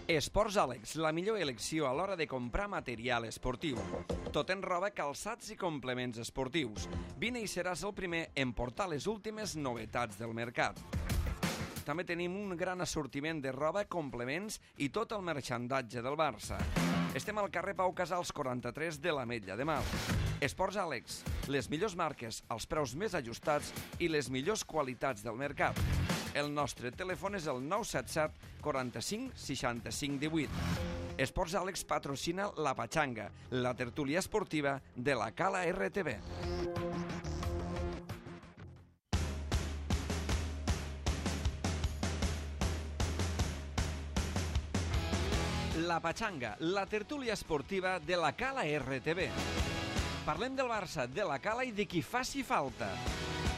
Esports Àlex, la millor elecció a l'hora de comprar material esportiu. Tot en roba, calçats i complements esportius. Vine i seràs el primer en portar les últimes novetats del mercat. També tenim un gran assortiment de roba, complements i tot el merxandatge del Barça. Estem al carrer Pau Casals 43 de l'Ametlla de Mar. Esports Àlex, les millors marques, els preus més ajustats i les millors qualitats del mercat. El nostre telèfon és el 977 45 65 18. Esports Àlex patrocina La Pachanga, la tertúlia esportiva de la Cala RTV. La Pachanga, la tertúlia esportiva de la Cala RTV. Parlem del Barça, de la Cala i de qui faci falta.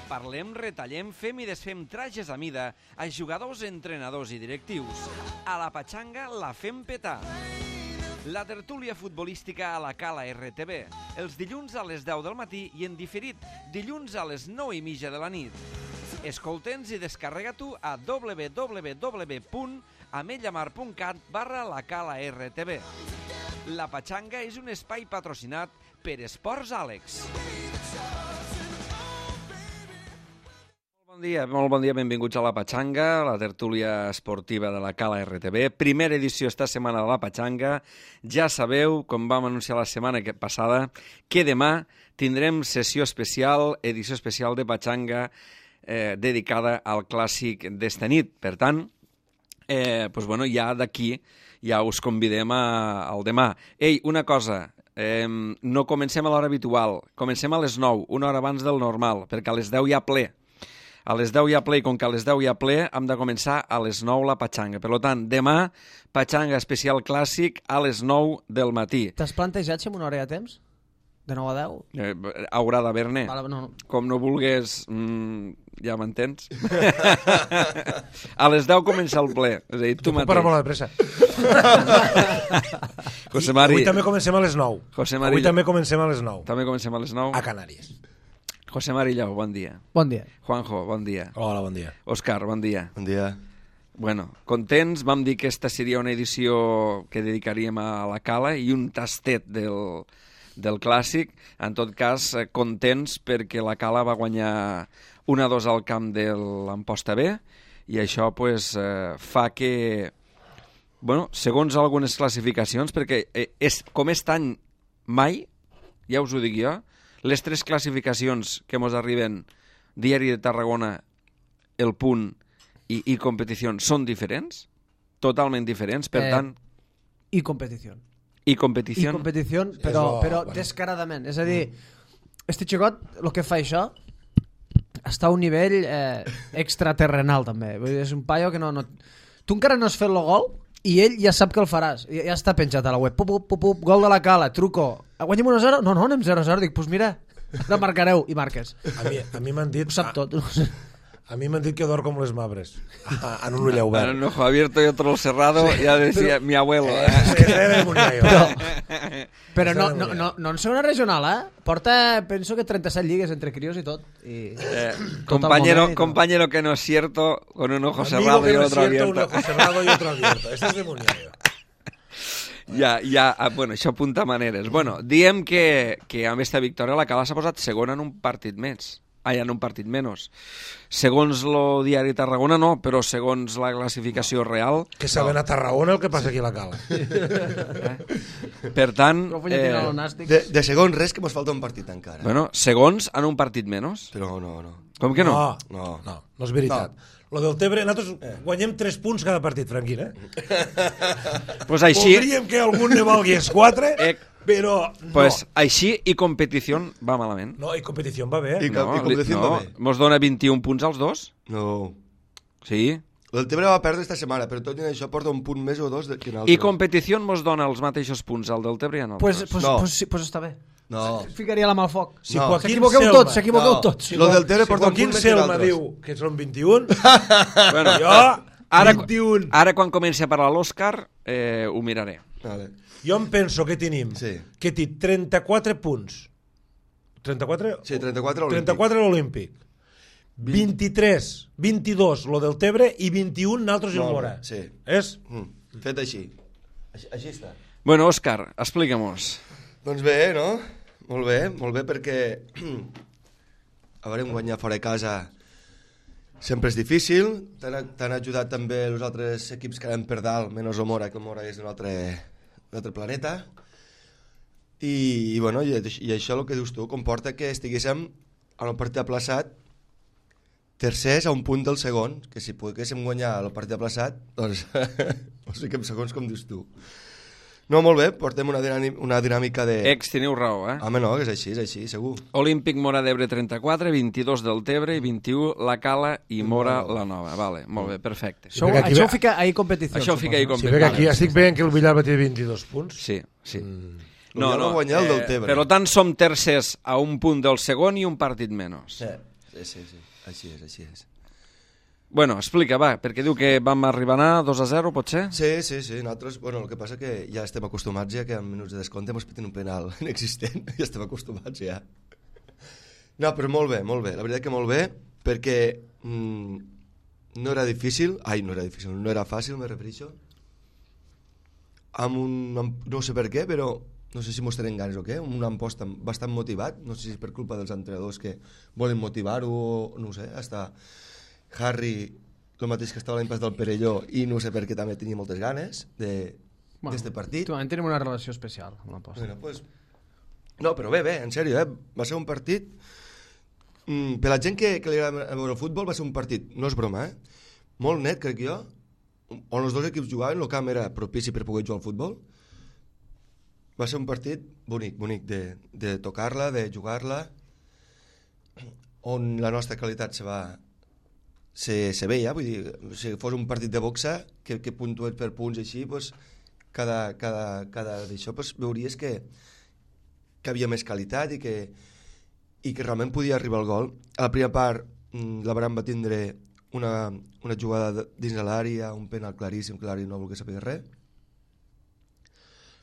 Parlem, retallem, fem i desfem trajes a mida a jugadors, entrenadors i directius. A la Pachanga la fem petar. La tertúlia futbolística a la Cala RTV. Els dilluns a les 10 del matí i en diferit, dilluns a les 9:30 de la nit. Escolta'ns i descarrega-t'ho a www.ametllamar.cat/la Cala RTV. La Pachanga és un espai patrocinat per Esports Àlex. Molt bon dia, benvinguts a La Pachanga, la tertúlia esportiva de la Cala RTV. Primera edició esta setmana de La Pachanga. Ja sabeu, com vam anunciar la setmana passada, que demà tindrem sessió especial, edició especial de Pachanga dedicada al clàssic d'esta nit. Per tant, ja d'aquí ja us convidem al demà. Ei, una cosa, no comencem a l'hora habitual, comencem a les 9, una hora abans del normal, perquè a les 10 hi ha ple. A les 10 hi ha ple, i com que a les 10 hi ha ple, hem de començar a les 9 la Pachanga. Per tant, demà, Pachanga especial clàssic a les 9 del matí. T'has plantejat si amb una hora hi ha temps? De 9 a 10? Haurà d'haver-ne. No. Com no vulguis, ja m'entens? A les 10 comença el ple. És a dir, tu mateix. Puc parar molt de pressa. José Mari... Avui també comencem a les 9. Avui també comencem a les 9. També comencem a les 9. A Canàries. José Marillau, bon dia. Bon dia. Juanjo, bon dia. Hola, bon dia. Òscar, bon dia. Bon dia. Bueno, contents, vam dir que esta seria una edició que dedicaríem a la Cala i un tastet del clàssic. En tot cas, contents perquè la Cala va guanyar 1-2 al camp de l'Amposta B i això fa que, segons algunes classificacions, perquè com és any mai, ja us ho dic jo, les 3 classificacions que ens arriben, Diari de Tarragona, El Punt i Competició, són diferents, totalment diferents, per tant... I competició. I competició, però descaradament. És a dir, este xicot, el que fa això, està a un nivell extraterrenal, també. Vull dir, és un paio que no... Tu encara no has fet el gol i ell ja sap que el faràs. Ja està penjat a la web. Gol de la Cala, truco. Guanyem 1-0? No, anem 0-0. Dic, doncs mira, la marcareu i marques. A mi m'han dit... Ho sap tot. A mi m'han dit que dorm com les mabres. En un ull obert. En un ojo abierto y otro cerrado, ya decía mi abuelo. Però no en segona regional, Porta, penso que 37 lligues entre crios i tot. Compañero que no es cierto, con un ojo cerrado y otro abierto. Un ojo cerrado y otro abierto. Este es de Muniayo. Això apunta maneres. Diem que amb esta victòria la Cala s'ha posat segona en un partit més. En un partit menys. Segons el Diari Tarragona no, però segons la classificació real... Que saben a Tarragona el que passa aquí a la Cala. Per tant... De segons res, que mos falta un partit encara. Segons en un partit menys. Però no. Com que no? No és veritat. Lo del Tebre, nosaltres guanyem 3 punts cada partit, Franquín, Pues així... Voldríem que algun ne valgués 4, però no. Pues així i competició va malament. No, i competició va bé. I competició va bé. Mos dona 21 punts als dos? No. Sí? El Tebre va perdre esta setmana, però tot i això porta un punt més o dos que en altres. I competició mos dona els mateixos punts al del Tebre i en altres? Pues està bé. No. Ficaria la mà al foc. S'equivoqueu tots. Lo del Tebre porta un Joaquín punt més que Selma altres. diu que són 21. Jo, 21. Ara quan comenci a parlar l'Òscar, ho miraré. Vale. Jo em penso que tenim que té 34 punts. 34? Sí, 34 olímpic. 34 l'olímpic. 23, 22 lo del Tebre i 21 naltros i el Mora. Sí. És? Fet així. Així està. Bueno, Òscar, explica-mos. Doncs bé, no? Molt bé perquè a veure, guanyar fora de casa sempre és difícil. T'han ajudat també els altres equips que anem per dalt, menys el Mora, que el Mora és d'un altre planeta. I bueno, i això el que dius tu comporta que estiguéssim en el partit aplaçat tercers a un punt del segon, que si poguéssim guanyar el partit aplaçat, doncs no sé què segons com dius tu. No, molt bé, portem una dinàmica de... Teniu raó, eh? Home, no, és així, segur. Olímpic Mora d'Ebre 34, 22 del Tebre i 21 la Cala i Mora la Nova. Vale, molt bé, perfecte. Això ho fica ahí competició. Això ho fica ahí Sí, competició. perquè aquí estic veient que el Villar va tenir 22 punts. Sí. No, va guanyar el del Tebre. Per tant, som tercers a un punt del segon i un partit menys. Sí. Així és. Bueno, explica, va, perquè diu que vam arribar a 2-0, pot ser? Sí. Nosaltres, bueno, el que passa que ja estem acostumats ja que en minuts de descompte ens piten un penal inexistent. Ja estem acostumats, ja. No, però molt bé. La veritat que molt bé, perquè no era fàcil, me refereixo. No sé per què, però no sé si mos tenen ganes o què, un amposta bastant motivat, no sé si per culpa dels entrenadors que volen motivar-ho, no ho sé, hasta Harry, el mateix que estava l'any pas del Perelló, i no sé per què també tenia moltes ganes d'este partit. Tenim una relació especial amb l'aposta. Bueno, pues, no, però bé, en sèrio, va ser un partit, per la gent que li agrada veure el futbol, va ser un partit, no és broma, molt net, crec jo, on els dos equips jugaven, el camp era propici per poder jugar al futbol. Va ser un partit bonic de tocar-la, de jugar-la, on la nostra qualitat se veia, vull dir, si fos un partit de boxa, que puntués per punts així, pues, cada d'això pues, veuries que havia més qualitat i que realment podia arribar al gol. A la primera part la Baran va tindre una jugada dins de l'àrea, un penal claríssim, que l'àrea no volgués saber res.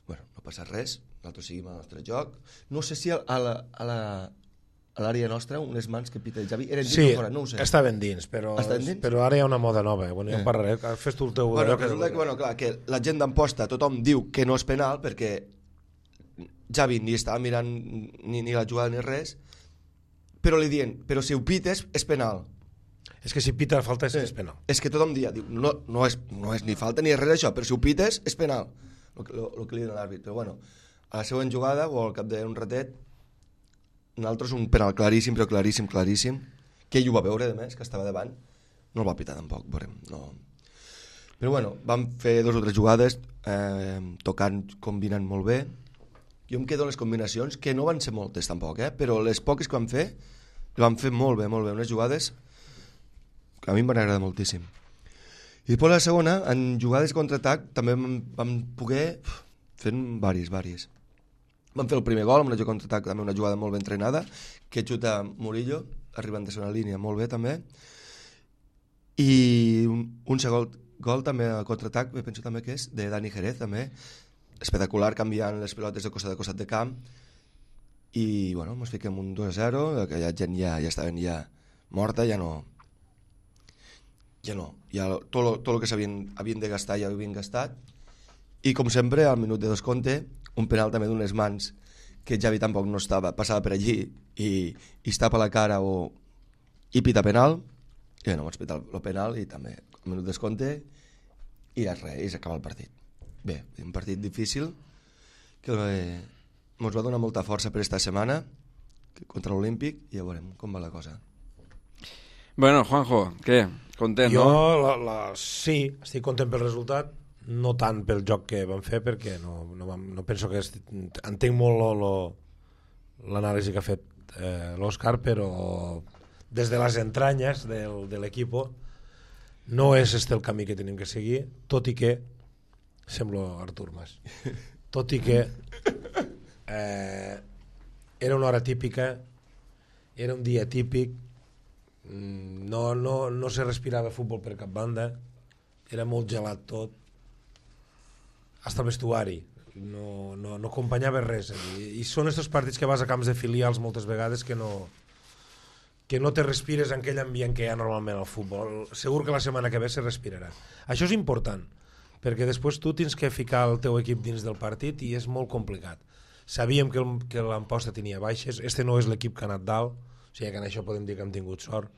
Bueno, no passa res, nosaltres seguim el nostre joc. No sé si a l'àrea nostra, unes mans que pita el Javi, eren dins o fora, no ho sé. Estaven dins, però ara hi ha una moda nova. Bueno, ja en parlaré, fes tu el teu... Resulta que la gent d'Amposta, tothom diu que no és penal, perquè Javi ni estava mirant ni la jugada ni res, però li diuen, però si ho pites és penal. És que si pita la falta és penal. És que tothom diu, no és ni falta ni res això, però si ho pites és penal, el que li diuen a l'àrbit. Però bueno, a la següent jugada, o al cap d'un ratet, nosaltres un penal claríssim, però claríssim, que ell ho va veure, a més, que estava davant, no el va pitar tampoc, veurem, no. Però bueno, vam fer 2 o 3 jugades, tocant, combinant molt bé. Jo em quedo en les combinacions, que no van ser moltes tampoc, però les poques que vam fer molt bé, unes jugades que a mi em van agradar moltíssim. I després la segona, en jugades de contraatac, també vam poder fer vàries. Vam fer el primer gol amb una jugada contraatac, també una jugada molt ben entrenada, que xuta Murillo, arribant de segona línia molt bé també. I un segon gol també a contraatac, penso també que és de Dani Jerez, també, espectacular, canviant les pilotes de costat de camp. I bueno, ens fiquem un 2-0, aquella gent ja estaven morta, tot el que havien de gastar ja ho havien gastat. I com sempre, al minut de descompte, un penal també d'unes mans que Javi tampoc no estava, passava per allí i es tapa la cara i pita penal. I bueno, vaig pitar el penal i també al minut de descompte i res, i s'acaba el partit. Bé, un partit difícil que ens va donar molta força per esta setmana contra l'Olímpic i ja veurem com va la cosa. Bueno, Juanjo, què? Content, no? Jo, sí, estic content pel resultat, no tant pel joc que vam fer, perquè no penso que... Entenc molt l'anàlisi que ha fet l'Òscar, però des de les entranyes de l'equip no és el camí que tenim que seguir, tot i que semblo Artur Mas, tot i que era una hora típica, era un dia típic, no se respirava futbol per cap banda, era molt gelat tot, hasta el vestuari no acompanyava res, i són aquests partits que vas a camps de filials moltes vegades que no te respires en aquell ambient que hi ha normalment al futbol. Segur que la setmana que ve se respirarà. Això és important, perquè després tu tens que ficar el teu equip dins del partit i és molt complicat. Sabíem que l'Amposta tenia baixes, no és l'equip que ha anat dalt, o sigui que en això podem dir que hem tingut sort.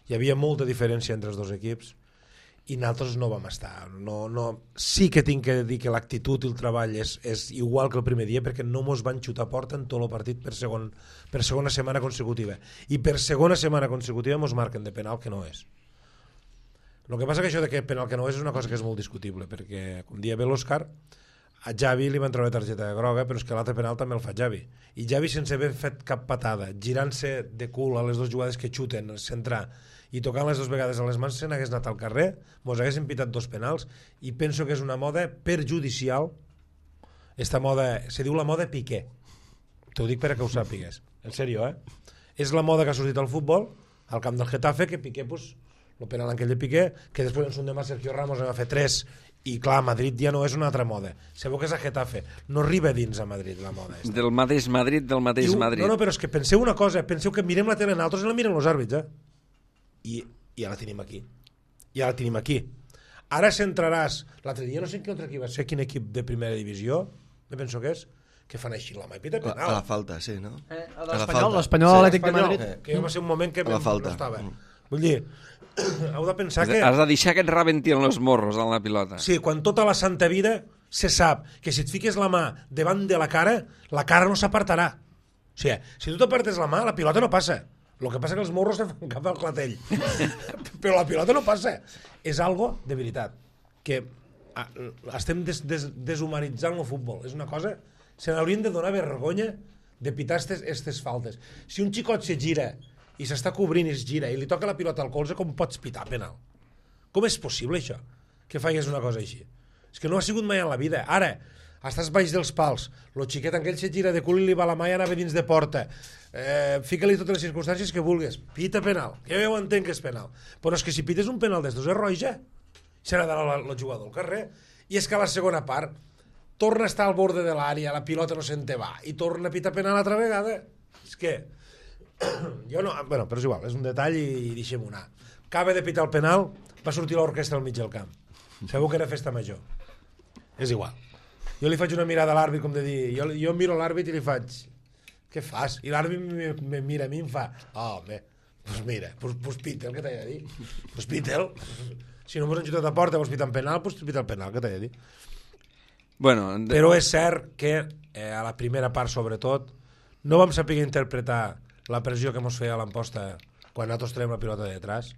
Hi havia molta diferència entre els dos equips i nosaltres no vam estar. Sí que tinc que dir que l'actitud i el treball és igual que el primer dia, perquè no mos van xutar a porta en tot el partit per segona setmana consecutiva. I per segona setmana consecutiva mos marquen de penal, que no és. El que passa que això de que penal que no és una cosa que és molt discutible, perquè, com dia bé l'Òscar, a Javi li van treure targeta groga, però és que l'altre penal també el fa Javi. I Javi, sense haver fet cap patada, girant-se de cul a les dues jugades que xuten, centrar, i tocant les dues vegades a les mans, se n'hagués anat al carrer, mos haguessin pitat 2 penals, i penso que és una moda perjudicial. Esta moda, se diu la moda Piqué. T'ho dic perquè ho sàpigues. En sèrio, És la moda que ha sortit al futbol, al camp del Getafe, que Piqué, el penal aquell de Piqué, que després en un demà Sergio Ramos en va fer 3, i clar, a Madrid ja no és una altra moda. Sabeu que és a Getafe, no arriba dins a Madrid la moda. Del mateix Madrid, Madrid. No, però és que penseu una cosa, penseu que mirem la tele en altres i la miren els àrbits, I ja la tenim aquí. Ara centraràs, l'altre dia no sé quin altre equip va ser, quin equip de primera divisió, me penso que és, que fan així la mà i pita penal. A la falta, sí, no? L'Espanyol Atlètic de Madrid. Que va ser un moment que no estava. Vull dir, heu de pensar que... Has de deixar que et rebentien els morros en la pilota. Sí, quan tota la santa vida se sap que si et fiques la mà davant de la cara no s'apartarà. O sigui, si tu t'apartes la mà, la pilota no passa. El que passa que els morros se fan cap al clatell. Però la pilota no passa. És algo de veritat. Que estem deshumanitzant el futbol. És una cosa... Se n'haurien de donar vergonya de pitar aquestes faltes. Si un xicot se gira i s'està cobrint i es gira i li toca la pilota al colze, com pots pitar penal? Com és possible això? Que faigues una cosa així? És que no ha sigut mai en la vida. Ara, estàs baix dels pals, el xiquet aquell se gira de cul i li va la mà i anava dins de porta, fica-li totes les circumstàncies que vulguis, pita penal, ja ho entenc que és penal, però és que si pites un penal d'estos és roja, serà d'anar el jugador al carrer. I és que a la segona part torna a estar al borde de l'àrea, la pilota no se'n te va i torna a pitar penal altra vegada. És que jo no... Bueno, però és igual, és un detall i deixem-ho anar. Acaba de pitar el penal, va sortir l'orquestra al mig del camp. Segur que era festa major. És igual. Jo li faig una mirada a l'àrbit, com de dir... Jo miro l'àrbit i li faig... Què fas? I l'àrbit me mira a mi i em fa... Oh, home, doncs mira, pues pita el que t'he de dir. Pues pita el... Si no mos han xutat a porta, vols pitar en penal, pues pita el penal, que t'he de dir. Bueno, però és cert que a la primera part, sobretot, no vam saber interpretar la pressió que ens feia a l'Amposta quan nosaltres traiem la pilota de detrás,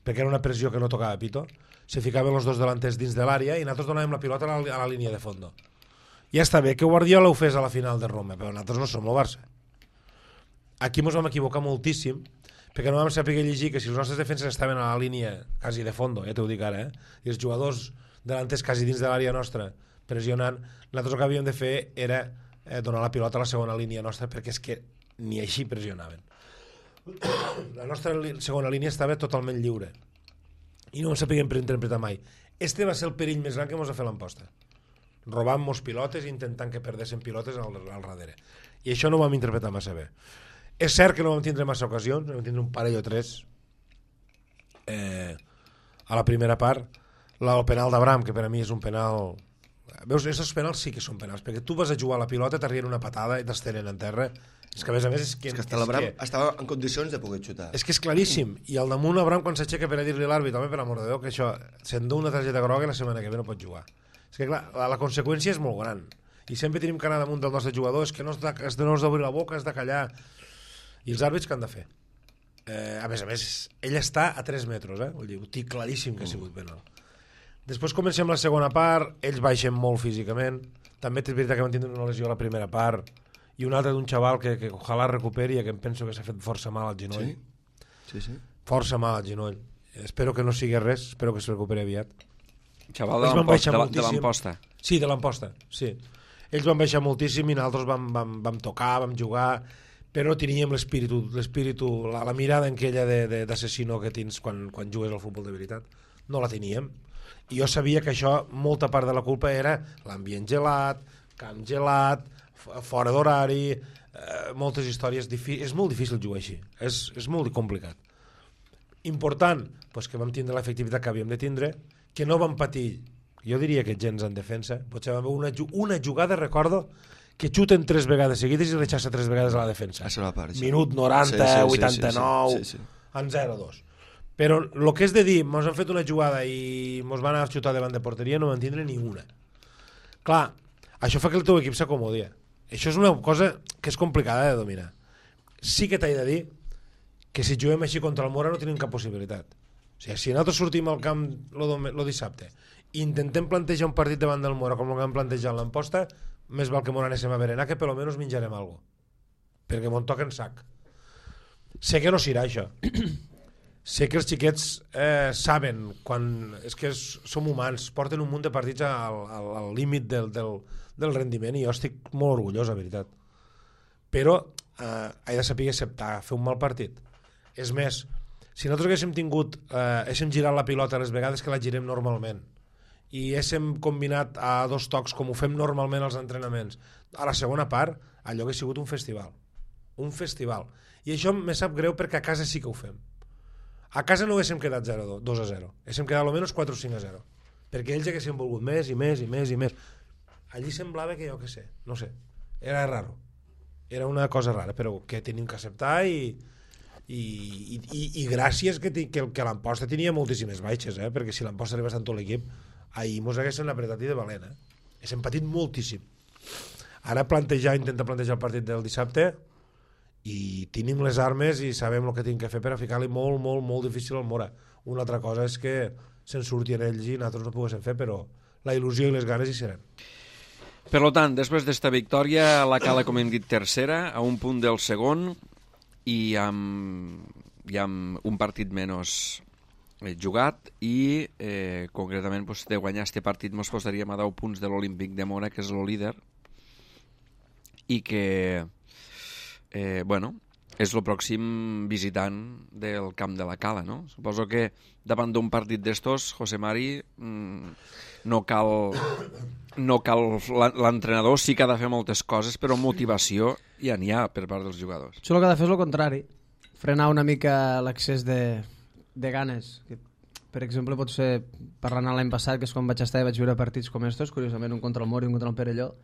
perquè era una pressió que no tocava pito, se ficaven els dos delanters dins de l'àrea i nosaltres donàvem la pilota a la línia de fondo. Ja està bé que Guardiola ho fes a la final de Roma, però nosaltres no som el Barça. Aquí ens vam equivocar moltíssim, perquè no vam saber llegir que si els nostres defenses estaven a la línia quasi de fondo, ja t'ho dic ara, i els jugadors delanters quasi dins de l'àrea nostra pressionant, nosaltres el que havíem de fer era donar la pilota a la segona línia nostra, perquè és que ni així pressionaven. La nostra segona línia estava totalment lliure i no ho sapíem interpretar mai. Este va ser el perill més gran que ens va fer l'Amposta, robant-nos pilotes i intentant que perdessin pilotes al darrere, i això no ho vam interpretar massa bé. És cert que no vam tindre massa ocasions, vam tindre un parell o 3 a la primera part. El penal d'Abraham, que per a mi és un penal... Veus, aquests penals sí que són penals, perquè tu vas a jugar a la pilota, t'arrien una patada i t'estenen en terra. És que a més és que l'Abraham estava en condicions de poder xutar. És que és claríssim. I al damunt Abraham, quan s'aixeca per a dir-li a l'àrbit, home, per amor de Déu, que això s'endú una targeta groga i la setmana que ve no pot jugar. És que clar, la conseqüència és molt gran. I sempre tenim que anar damunt del nostre jugador, és que no has d'obrir la boca, has de callar. I els àrbits què han de fer? A més, ell està a 3 metres, vull dir, ho tinc claríssim que ha sigut penal. Després comencem la segona part, ells baixen molt físicament, també és veritat que van tindre una lesió a la primera part, i una altra d'un xaval que ojalà recuperi, que em penso que s'ha fet força mal al genoll. Sí. Força mal al genoll. Espero que no sigui res, espero que es recuperi aviat. Xaval de l'Amposta. Sí, de l'Amposta, sí. Ells van baixar moltíssim i nosaltres vam tocar, vam jugar, però teníem l'espíritu, la mirada aquella d'assassino que tens quan jugues al futbol de veritat. No la teníem. I jo sabia que això, molta part de la culpa era l'ambient gelat, camp gelat, fora d'horari, moltes històries. És molt difícil jugar així, és molt complicat. Important, doncs que vam tindre l'efectivitat que havíem de tindre, que no vam patir jo diria que gens en defensa. Potser va haver una jugada, recordo, que xuten 3 vegades seguides i rechaça 3 vegades a la defensa. Minut 90, 89, en 0-2. Però el que és de dir, mos han fet una jugada i mos van a xutar davant de porteria, no van tindre ni una. Clar, això fa que el teu equip s'acomodi. Això és una cosa que és complicada de dominar. Sí que t'he de dir que si juguem així contra el Mora no tenim cap possibilitat. O sigui, si nosaltres sortim al camp el dissabte i intentem plantejar un partit davant del Mora com el que hem plantejat l'Amposta, més val que m'ho anéssim a berenar, que per almenys menjarem alguna cosa, perquè m'ho toquen sac. Sé que no serà això. Sé que els xiquets saben quan... És que som humans, porten un munt de partits al límit del rendiment i jo estic molt orgullós, la veritat. Però he de saber acceptar, fer un mal partit. És més, si nosaltres haguéssim girat la pilota les vegades que la girem normalment i haguéssim combinat a 2 tocs com ho fem normalment als entrenaments, a la segona part allò hauria sigut un festival. Un festival. I això me sap greu perquè a casa sí que ho fem. A casa no haguéssim quedat 2-0, haguéssim quedat almenys 4 o 5-0, perquè ells haguessin volgut més i més i més i més. Allí semblava que jo què sé, no sé, era raro, era una cosa rara, però que tenim que acceptar i gràcies que l'Amposta tenia moltíssimes baixes, perquè si l'Amposta arribés amb tot l'equip ahir mos haguessin apretat i de valent, haguéssim patit moltíssim. Ara intentar plantejar el partit del dissabte i tenim les armes i sabem el que tinc que fer per a ficar-li molt, molt, molt difícil al Mora. Una altra cosa és que se'n surtin ells i nosaltres no poguéssim fer, però la il·lusió i les ganes hi seran. Per tant, després d'esta victòria, la Cala, com hem dit, tercera, a un punt del segon i amb un partit menys jugat i concretament de guanyar este partit ens posaríem a 10 punts de l'Olímpic de Mora, que és el líder i que és el pròxim visitant del camp de la Cala, no? Suposo que davant d'un partit d'estos, José Mari, no cal l'entrenador, sí que ha de fer moltes coses, però motivació ja n'hi ha per part dels jugadors. Això el que ha de fer és el contrari, frenar una mica l'accés de ganes. Per exemple, pot ser, parlant l'any passat, que és quan vaig estar i vaig veure partits com estos, curiosament un contra el Mora i un contra el Perelló,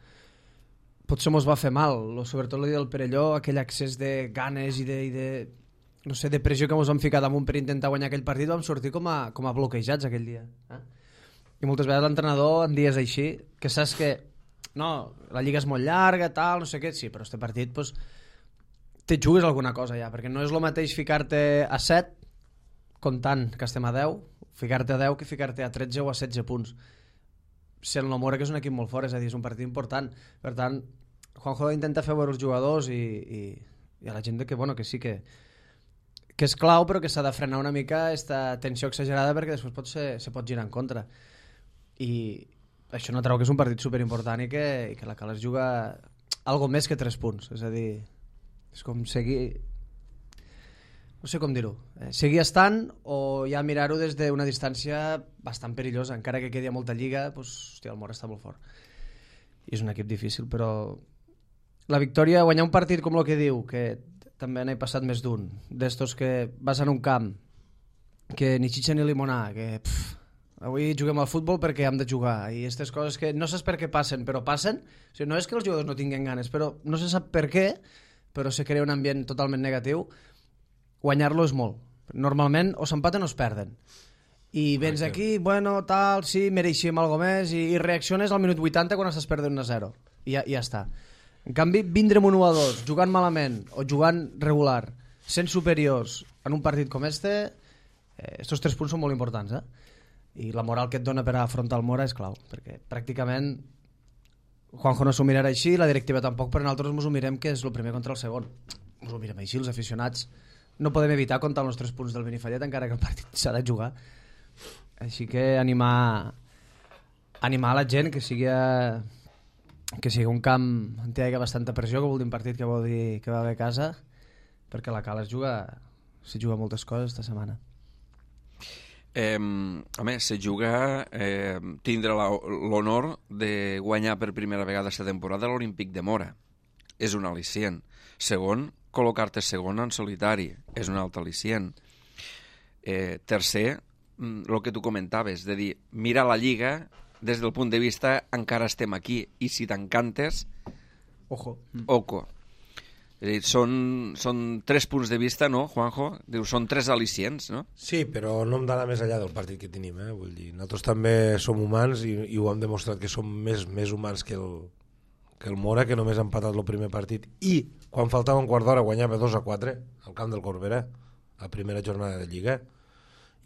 potser mos va fer mal, sobretot el dia del Perelló, aquell accés de ganes i no sé, de pressió que mos vam ficar damunt per intentar guanyar aquell partit, vam sortir com a bloquejats aquell dia. I moltes vegades l'entrenador en dies així, que saps que no, la lliga és molt llarga, tal, no sé què, sí, però este partit pues, te jugues alguna cosa ja, perquè no és el mateix ficar-te a 7 comptant que estem a 10, ficar-te a 10 que ficar-te a 13 o a 16 punts. Sent el Mora, que és un equip molt fort, és a dir, és un partit important. Per tant, Juanjo intenta fer veure els jugadors i a la gent que, bueno, que sí que és clau, però que s'ha de frenar una mica aquesta tensió exagerada perquè després se pot girar en contra. I això no treu que és un partit superimportant i que la Cala es juga algo més que 3 punts. És a dir, és com seguir... No sé com dir-ho. Seguir estant o ja mirar-ho des d'una distància bastant perillosa. Encara que quedi a molta lliga, doncs, hòstia, el Mora està molt fort. I és un equip difícil, però la victòria, guanyar un partit com el que diu, que també n'he passat més d'un, d'estos que vas en un camp, que ni xitxa ni limonar, que avui juguem al futbol perquè hem de jugar, i aquestes coses que no saps per què passen, però passen. O sigui, no és que els jugadors no tinguin ganes, però no se sap per què, però se crea un ambient totalment negatiu. Guanyar-lo és molt. Normalment o s'empaten o es perden. I vens aquí, bueno, tal, sí, mereixíem alguna més, i reacciones al minut 80 quan estàs perdent 1-0. I ja està. En canvi, vindre'm un 1-2, jugant malament o jugant regular, sent superiors en un partit com estos 3 punts són molt importants, I la moral que et dona per afrontar el Mora és clau, perquè pràcticament Juanjo no s'ho mirarà així, la directiva tampoc, però nosaltres ens ho mirem que és el primer contra el segon. Ens ho mirem així, els aficionats no podem evitar comptar els 3 punts del Benifallet encara que el partit s'ha de jugar. Així que animar la gent que sigui un camp on hi hagi bastanta pressió, que vol dir un partit que vol dir que va bé a casa, perquè la Cala s'hi juga moltes coses esta setmana. A més, se juga tindre l'honor de guanyar per primera vegada aquesta temporada l'Olímpic de Mora. És un al·licient. Segon, col·locar-te segon en solitari. És un altre al·licient. Tercer, el que tu comentaves, de dir, mira la Lliga des del punt de vista encara estem aquí, i si t'encantes, Ojo. oco. És a dir, són 3 punts de vista, no, Juanjo? Dius, són 3 al·licients, no? Sí, però no hem d'anar més enllà del partit que tenim, vull dir, nosaltres també som humans i ho hem demostrat que som més humans que el Mora, que només ha empatat el primer partit, i quan faltava un quart d'hora guanyava 2-4 al camp del Corbera, a primera jornada de Lliga,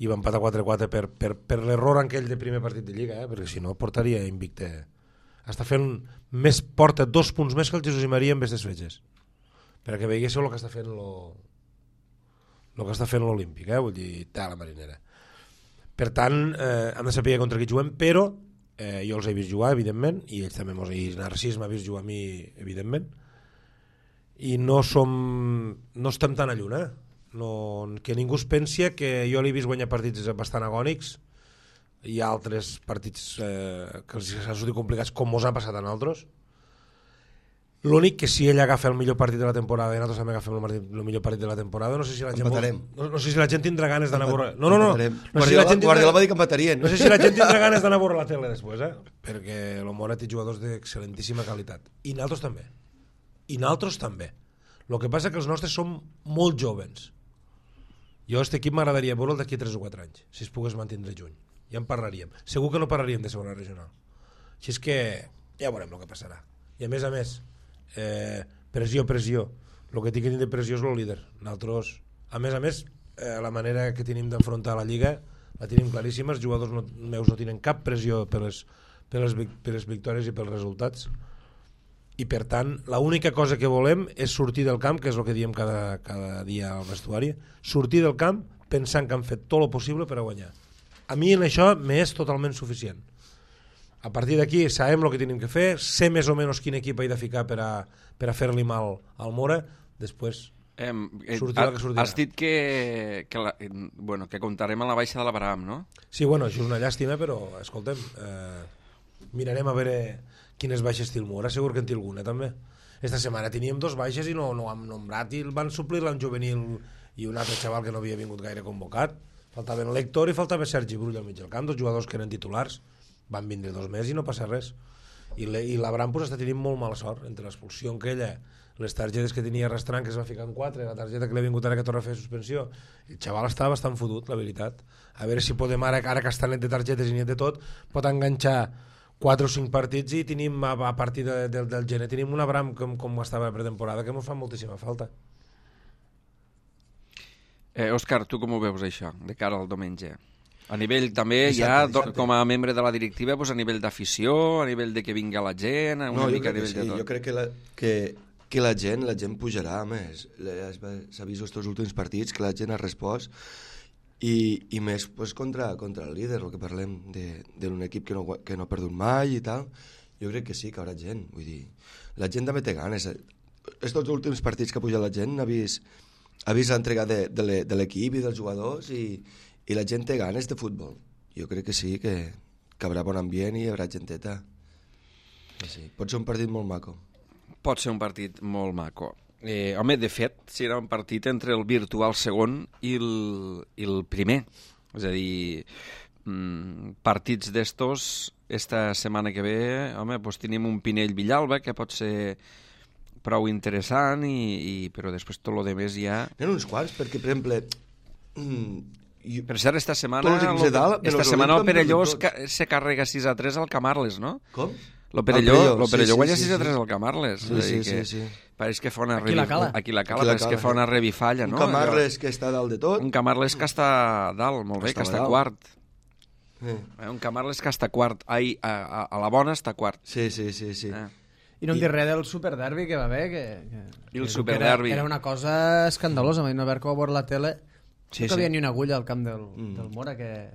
i va empatar 4-4 per l'error aquell de primer partit de Lliga, perquè si no portaria invicte. Porta 2 punts més que el Jesús i Maria en aquestes fetges, perquè veiéssiu el que està fent l'Olímpic, vull dir, a la marinera. Per tant, hem de saber contra qui juguem, però jo els he vist jugar, evidentment, i ells també i Narcís m'ha vist jugar a mi, evidentment, i no estem tan a lluna, que ningú es pensi que jo l'he vist guanyar partits bastant agònics. Hi ha altres partits que els han sortit complicats, com mos ha passat a nosaltres. L'únic que si ell agafa el millor partit de la temporada i nosaltres també agafem el millor partit de la temporada, no sé si la gent tindrà ganes d'anar a veure... No. Guardiola va dir que empatarien. No sé si la gent tindrà ganes d'anar a veure la tele després, perquè el Mora té jugadors d'excel·lentíssima qualitat. I nosaltres també. El que passa que els nostres són molt joves. Jo aquest equip m'agradaria veure'l d'aquí 3 o 4 anys, si es pogués mantindre juny. Ja en parlaríem. Segur que no parlaríem de segona regional. Així és que ja veurem el que passarà. I a més, pressió. El que tinc que tindre pressió és el líder. Nosaltres, a més, la manera que tenim d'afrontar la Lliga la tenim claríssima. Els jugadors meus no tenen cap pressió per les victòries i pels resultats. I per tant, l'única cosa que volem és sortir del camp, que és el que diem cada dia al vestuari, sortir del camp pensant que han fet tot el possible per a guanyar. A mi en això m'és totalment suficient. A partir d'aquí sabem el que tenim que fer, sé més o menys quin equip he de ficar per a fer-li mal al Mora, després sortirà el que sortirà. Has dit que comptarem a la baixa de l'Abraham, no? Sí, això és una llàstima, però escoltem, mirarem a veure quines baixes té el Mora, segur que en té alguna també. Esta setmana teníem 2 baixes i no ho hem nombrat, i van suplir-la en juvenil i un altre xaval que no havia vingut gaire convocat. Faltaven l'Héctor i faltava Sergi Brull al mig del camp, 2 jugadors que eren titulars. Van vindre 2 més i no passa res. I l'Abraham està tenint molt mala sort entre l'expulsió aquella, les targetes que tenia arrastrant, que es va ficar en 4, la targeta que li ha vingut ara que torna a fer suspensió. El xaval està bastant fotut, la veritat. A veure si podem ara que està net de targetes i net de tot, pot enganxar 4 o 5 partits i tenim, a partir del gener, tenim un Abraham com estava a pretemporada, que ens fa moltíssima falta. Òscar, tu com ho veus això, de cara al diumenge? A nivell també, dissabte. Com a membre de la directiva, a nivell d'afició, a nivell de que vinga la gent, una mica a nivell de tot. Jo crec que la gent pujarà, a més. S'ha vist aquests últims partits que la gent ha respost, i més contra el líder, el que parlem d'un equip que no ha perdut mai i tal. Jo crec que sí, que hi haurà gent. Vull dir, la gent també té ganes. Aquests últims partits que ha pujat la gent ha vist l'entrega de l'equip i dels jugadors, i la gent té ganes de futbol. Jo crec que sí, que hi haurà bon ambient i hi haurà genteta. Sí. Pot ser un partit molt maco. Pot ser un partit molt maco. Home, de fet, serà un partit entre el virtual segon i el primer. És a dir, partits d'estos, esta setmana que ve, home, tenim un Pinell-Villalba, que pot ser prou interessant, però després tot el demés ja... N'hi ha uns quants, perquè, per exemple... Per cert, esta setmana el Perelló se carrega 6-3 al Camarles, no? Com? Lo Perelló guanya 6-3 al Camarles. Sí. Pareix que fa una Aquí pareix que fa una revifalla, no? Un Camarles que està dalt de tot. Un Camarles que està dalt, molt bé, que està quart. Un Camarles que està quart. A la bona està quart. Sí. I no em dir res del superderbi que va haver, I el superderbi. Era una cosa escandalosa, mai no haver que va veure la tele. No cabia ni una agulla al camp del Mora, que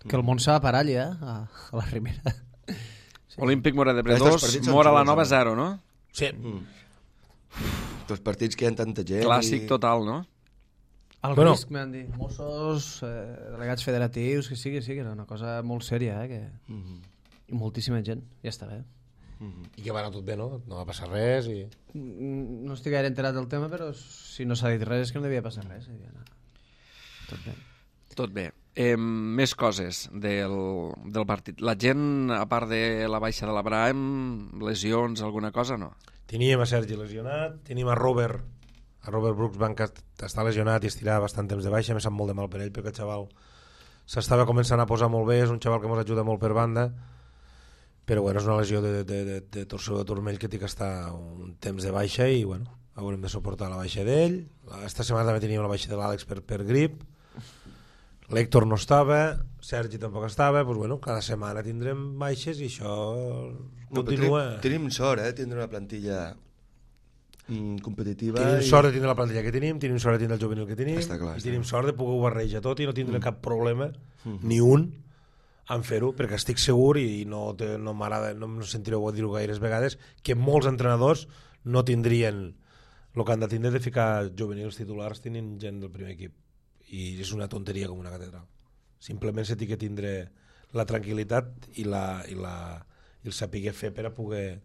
el món s'ha de parar allà, a la Rimera. Olímpic Mora de Bre 2, Mora la Nova 0, no? Sí. Els partits que hi ha tanta gent... Clàssic total, no? El risc, m'han dit. Mossos, delegats federatius, que sí, era una cosa molt sèria, i moltíssima gent, ja està bé. I que va anar tot bé, no? No va passar res i... No estic gaire enterat del tema, però si no s'ha dit res és que no devia passar res. Tot bé. Tot bé. Més coses del partit. La gent, a part de la baixa de l'Abraham, lesions, alguna cosa, no? Teníem a Sergi lesionat, teníem a Robert Brooksbank, que està lesionat i estirà bastant temps de baixa. Me sap molt de mal per ell, perquè el xaval s'estava començant a posar molt bé, és un xaval que ens ajuda molt per banda, però bueno, és una lesió de torsió de turmell que té que estar un temps de baixa i bueno, haurem de suportar la baixa d'ell. Esta setmana també teníem la baixa de l'Àlex per grip, l'Héctor no estava, Sergi tampoc estava, doncs bueno, cada setmana tindrem baixes i això continua. Tenim sort, tindre una plantilla competitiva. Tenim sort de tindre la plantilla que tenim sort de tindre el juvenil que tenim, clar, i tenim sort de poder barrejar tot i no tindre cap problema, ni un, en fer-ho, perquè estic segur, i no m'agrada, no em sentireu a dir-ho gaires vegades, que molts entrenadors no tindrien el que han de tindre de ficar juvenils titulars tenint gent del primer equip, i és una tonteria com una catedral. Simplement se té que tindre la tranquil·litat i el saber fer per a poder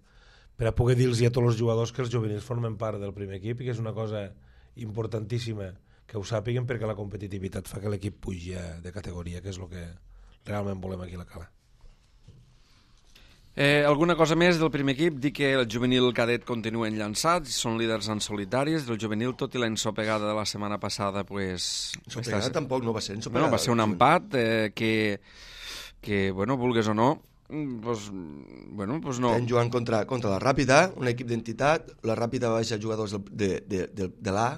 dir-los a tots els jugadors que els juvenils formen part del primer equip i que és una cosa importantíssima que ho sàpiguen, perquè la competitivitat fa que l'equip pugi de categoria, que és el que realment volem aquí a la Cala. Alguna cosa més del primer equip? Dir que el juvenil cadet continuen llançats, són líders en solitaris del juvenil, tot i la ensopegada de la setmana passada, pues... Ensopegada tampoc no va ser ensopegada. Bueno, va ser un empat que bueno, vulgues o no, pues no. Estem jugant contra la Ràpida, un equip d'entitat. La Ràpida va baixar jugadors de l'A,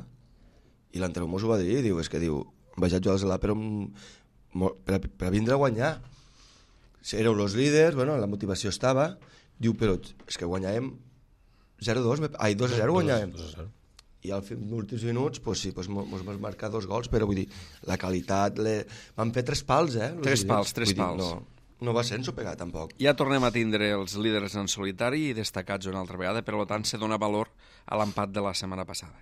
i l'entrenador mos ho va dir, diu, baixar jugadors de l'A per vindre a guanyar. Éreu els líders, bueno, la motivació estava, diu, però és que guanyàvem 2-0 guanyàvem. I als últims minuts, pues sí, mos vam marcar 2 gols, però vull dir, la qualitat, van fer 3 pals, 3 pals. No va ser ensopegat, tampoc. Ja tornem a tindre els líders en solitari i destacats una altra vegada, per tant se dona valor a l'empat de la setmana passada.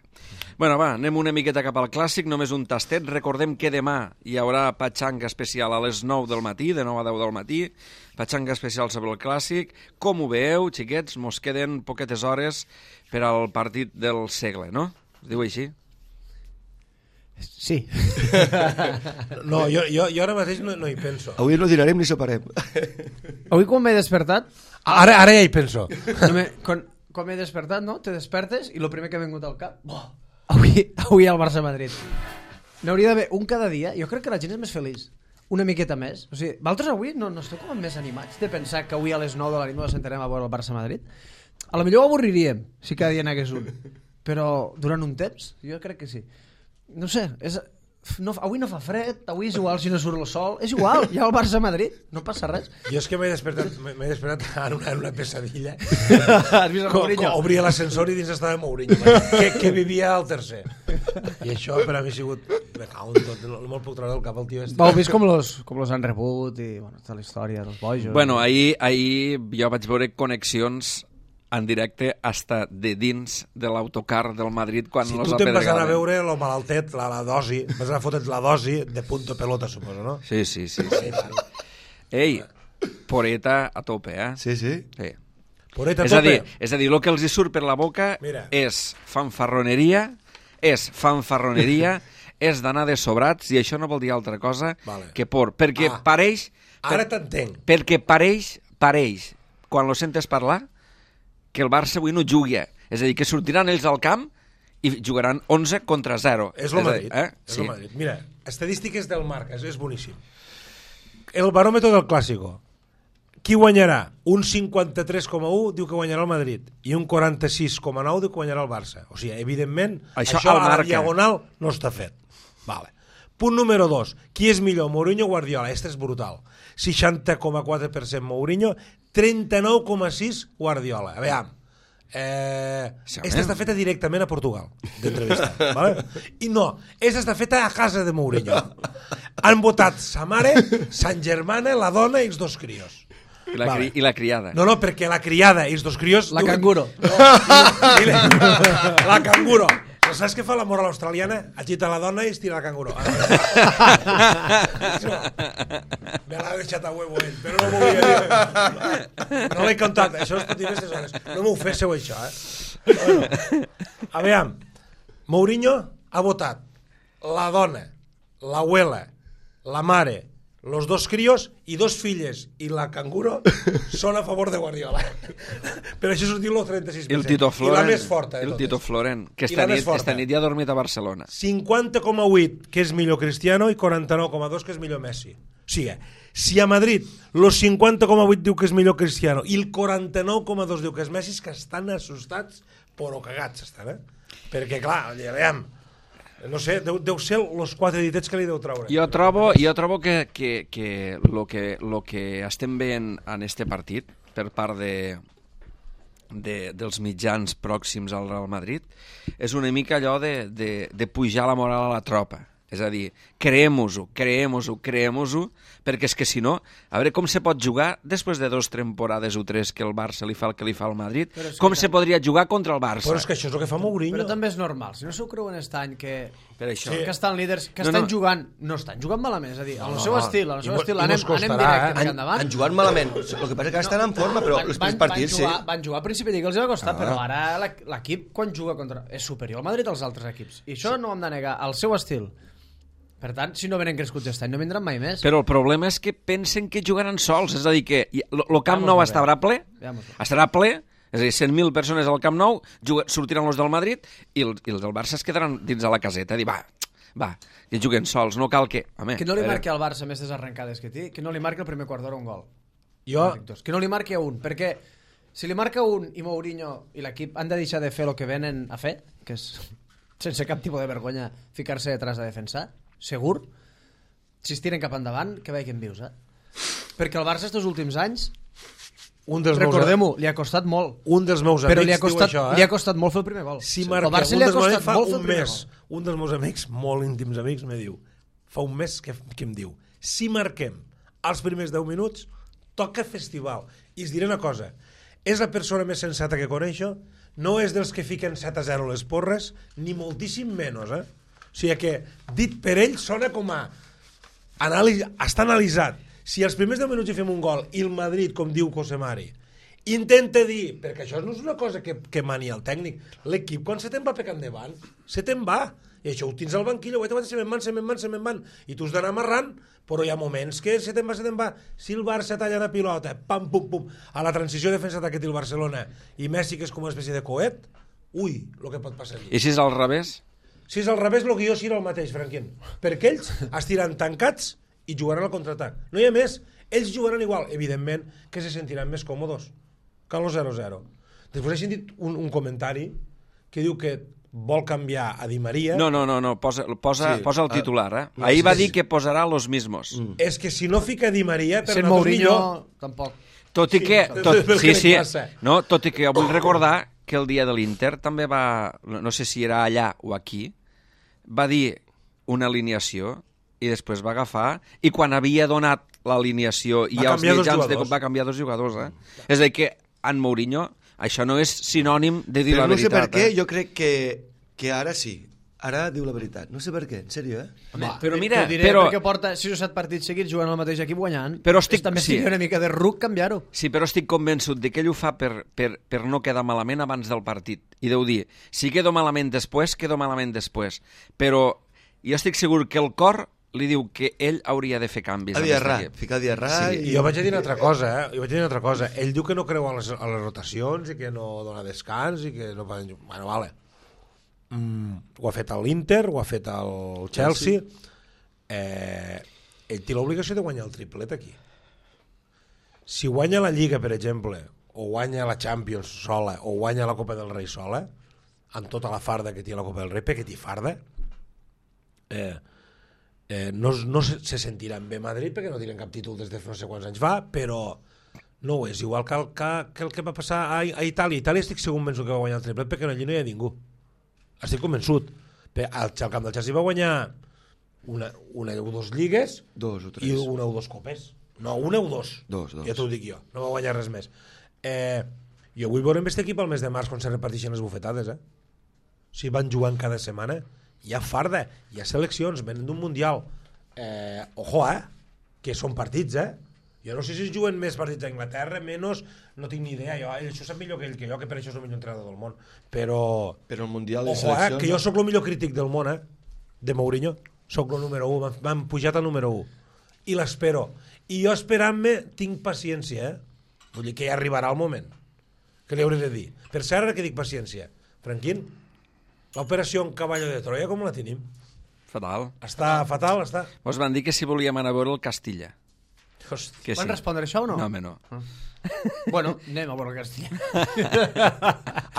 Bueno, va, anem una miqueta cap al clàssic, només un tastet. Recordem que demà hi haurà patxanga especial a les 9 del matí, de 9 a 10 del matí, patxanga especial sobre el clàssic. Com ho veieu, xiquets? Mos queden poquetes hores per al partit del segle, no? Es diu així? Sí. No, jo ara mateix no hi penso. Avui no dinarem ni soparem. Avui quan m'he despertat... Ara ja hi penso. Quan m'he despertat, no? Te despertes i el primer que ha vingut al cap... Avui al Barça-Madrid. N'hauria d'haver un cada dia. Jo crec que la gent és més feliç. Una miqueta més. O sigui, vosaltres avui no esteu com més animats de pensar que avui a les 9 de la nit ens sentarem a veure el Barça-Madrid? A lo millor ho avorriríem si cada dia n'hagués un. Però durant un temps, jo crec que sí. No sé, avui no fa fred, avui és igual si no surt el sol, és igual, hi ha el Barça-Madrid, no passa res. Jo és que m'he despertat en una pesadilla. Has vist el Mourinho? Obria l'ascensor i dins estava Mourinho, que vivia al tercer. I això per a mi ha sigut... Me cago en tot, no me'l puc treure del cap el tio. Heu vist com los han rebut i bueno, tota la història dels bojos. Bueno, ahir jo vaig veure connexions en directe hasta de dins de l'autocar del Madrid quan si los tu te'n vas anar a apedregaven. veure el malaltet, la dosi, vas anar a fotre't la dosi de punto pelota, suposo, no? Sí. Ei, poreta a tope, Sí. Poreta a tope. És a dir, el que els hi surt per la boca és fanfarroneria, és d'anar de sobrats, i això no vol dir altra cosa que por. Perquè pareix... Ara t'entenc. Perquè pareix, quan lo sentes parlar, que el Barça avui no jugui. És a dir, que sortiran ells al camp i jugaran 11 contra 0. És el Madrid. És el Madrid. Mira, estadístiques del Marca, és boníssim. El baròmetre del Clàssico. Qui guanyarà? Un 53,1 diu que guanyarà el Madrid i un 46,9 diu que guanyarà el Barça. O sigui, evidentment, això a la diagonal no està fet. Vale. Punt número 2. Qui és millor, Mourinho o Guardiola? Este és brutal. 60,4% Mourinho, 39,6% Guardiola. A veure, esta està feta directament a Portugal, d'entrevista. ¿Vale? I no, esta està feta a casa de Mourinho. Han votat sa mare, Sant Germana, la dona i els 2 crios. I la criada. No, perquè la criada i els 2 crios... La canguro. La canguro. Saps què fa la moral australiana? Agita la dona i estira la canguro. Me l'ha deixat a huevo ell, però no m'ho volia dir. No l'he contat, això es pot dir aquestes hores. No m'ho féssiu, això, Bueno, a veure, Mourinho ha votat la dona, l'abuela la mare, los dos críos i dos filles i la canguro són a favor de Guardiola. Però això sortiu el 36%. I el Tito Floren, I la més forta de el totes. Tito Floren, que I la més forta. esta nit ja ha dormit a Barcelona. 50,8 que és millor Cristiano i 49,2 que és millor Messi. O sigui, si a Madrid los 50,8 diu que és millor Cristiano i el 49,2 diu que és Messi, és que estan assustats però cagats estan, perquè clar, veiem, no sé, deu ser els 4 ditets que li deu treure. Jo trobo que lo que estem veient en este partit per part dels mitjans pròxims al Real Madrid és una mica allò de pujar la moral a la tropa. És a dir, creem-ho-ho, perquè és que si no, a veure com se pot jugar després de 2 temporades o 3 que el Barça li fa el que li fa al Madrid, com se podria jugar contra el Barça? Però és que això és el que fa Mourinho. Però també és normal, si no s'ho creuen aquest any que estan líders, que estan jugant, no estan jugant malament, és a dir, al seu estil, anem directe endavant. Han jugat malament, el que passa és que estan en forma, però els primers partits sí. Van jugar a principi de Lliga, els va costar, però ara l'equip quan juga contra és superior al Madrid als altres equips, i això no ho hem de negar, al seu estil. Per tant, si no venen crescuts aquest any, no vindran mai més. Però el problema és que pensen que jugaran sols, és a dir, que el Camp Nou estarà ple, és a dir, 100.000 persones al Camp Nou, sortiran els del Madrid i els del Barça es quedaran dins de la caseta, dir, va, que juguen sols, no cal que... Home, que no li marqui al Barça més arrencades que té, que no li marqui el primer quart d'hora un gol. Que no li marqui a un, perquè si li marca un i Mourinho i l'equip han de deixar de fer el que venen a fer, que és sense cap tipus de vergonya ficar-se detrás de defensar, segur, si es tiren cap endavant, que veig que en vius, Perquè el Barça estos últims anys, recordem-ho, li ha costat molt. Un dels meus amics diu això, li ha costat molt fer el primer gol. Si marca, el Barça li ha costat molt fer el primer gol. Un dels meus amics, molt íntims amics, me diu, fa un mes que em diu, si marquem els primers 10 minuts, toca festival. I es diré una cosa, és la persona més sensata que coneixo, no és dels que fiquen 7-0 les porres, ni moltíssim menys, O sigui que, dit per ell, sona com a... Està analitzat. Si els primers 10 minuts hi fem un gol i el Madrid, com diu Cosemari, intenta dir, perquè això no és una cosa que mani el tècnic, l'equip quan se te'n va pecant endavant, se te'n va. I això ho tens al banquillo, se me'n van. I tu has d'anar amarrant, però hi ha moments que se te'n va. Si el Barça talla la pilota, pam, pum, pum, a la transició defensa-atac que té el Barcelona, i Messi, que és com una espècie de coet, ui, el que pot passar allí. I si és al revés? Si és al revés, el guió serà el mateix, Franquín. Perquè ells estiran tancats i jugaran al contraatac. No hi ha més. Ells jugaran igual. Evidentment que se sentiran més còmodes que el 0-0. Després he sentit un comentari que diu que vol canviar a Di Maria... No, posa el titular, Ahir va dir que posarà los mismos. És que si no fica Di Maria... Sent Mourinho, tampoc. Tot i que... Tot i que jo vull recordar que el dia de l'Inter també va... No sé si era allà o aquí... va dir una alineació i després va agafar i quan havia donat l'alineació i els mitjans va canviar 2 jugadors, És a dir que en Mourinho això no és sinònim de dir la veritat. Però no sé per què, jo crec que ara sí. Ara diu la veritat. No sé per què, en sèrio, Però mira... Perquè porta 6 o 7 partits seguits jugant al mateix equip guanyant. Però també estic una mica de ruc canviar-ho. Sí, però estic convençut de que ell ho fa per no quedar malament abans del partit. I deu dir, si quedo malament després, quedo malament després. Però jo estic segur que el cor li diu que ell hauria de fer canvis. Ficar Diarra... I jo vaig a dir una altra cosa, Ell diu que no creu a les rotacions i que no dona descans i que no poden... Bueno, vale. Ho ha fet a l'Inter, ho ha fet al Chelsea. Ell té l'obligació de guanyar el triplet aquí. Si guanya la Lliga, per exemple, o guanya la Champions sola, o guanya la Copa del Rei sola, amb tota la farda que té la Copa del Rei, perquè té farda, no se sentiran bé a Madrid perquè no tenen cap títol des de no sé quants anys va, però no ho és. Igual que el que va passar a Itàlia. Itàlia estic segur que va guanyar el triplet perquè allí no hi ha ningú. Estic convençut. Al camp del Chelsea va guanyar una o 2 lligues i una o 2 copes. No, una o 2. Ja t'ho dic jo. No va guanyar res més. Jo vull veure amb aquest equip al mes de març quan se reparteixen les bufetades. Si van jugant cada setmana, hi ha farda, hi ha seleccions, venen d'un mundial. Ojo, que són partits, Jo no sé si es juguen més partits a Anglaterra, menys, no tinc ni idea. Això sap millor que ell, que per això és el millor entrenador del món. Però el Mundial de Seleccions... Seleccions... que jo sóc el millor crític del món, de Mourinho. soc el número 1, m'han pujat al número 1. I l'espero. I jo esperant-me tinc paciència, Vull dir que ja arribarà el moment que li hauré de dir. Per cert, ara que dic paciència, Franquín, l'operació en Caballo de Troia com la tenim? Fatal. Està fatal, està? Us van dir que si volíem anar a veure el Castilla. Hòstia. Van respondre això o no? No, home, no. Bueno, anem a veure el Castilla.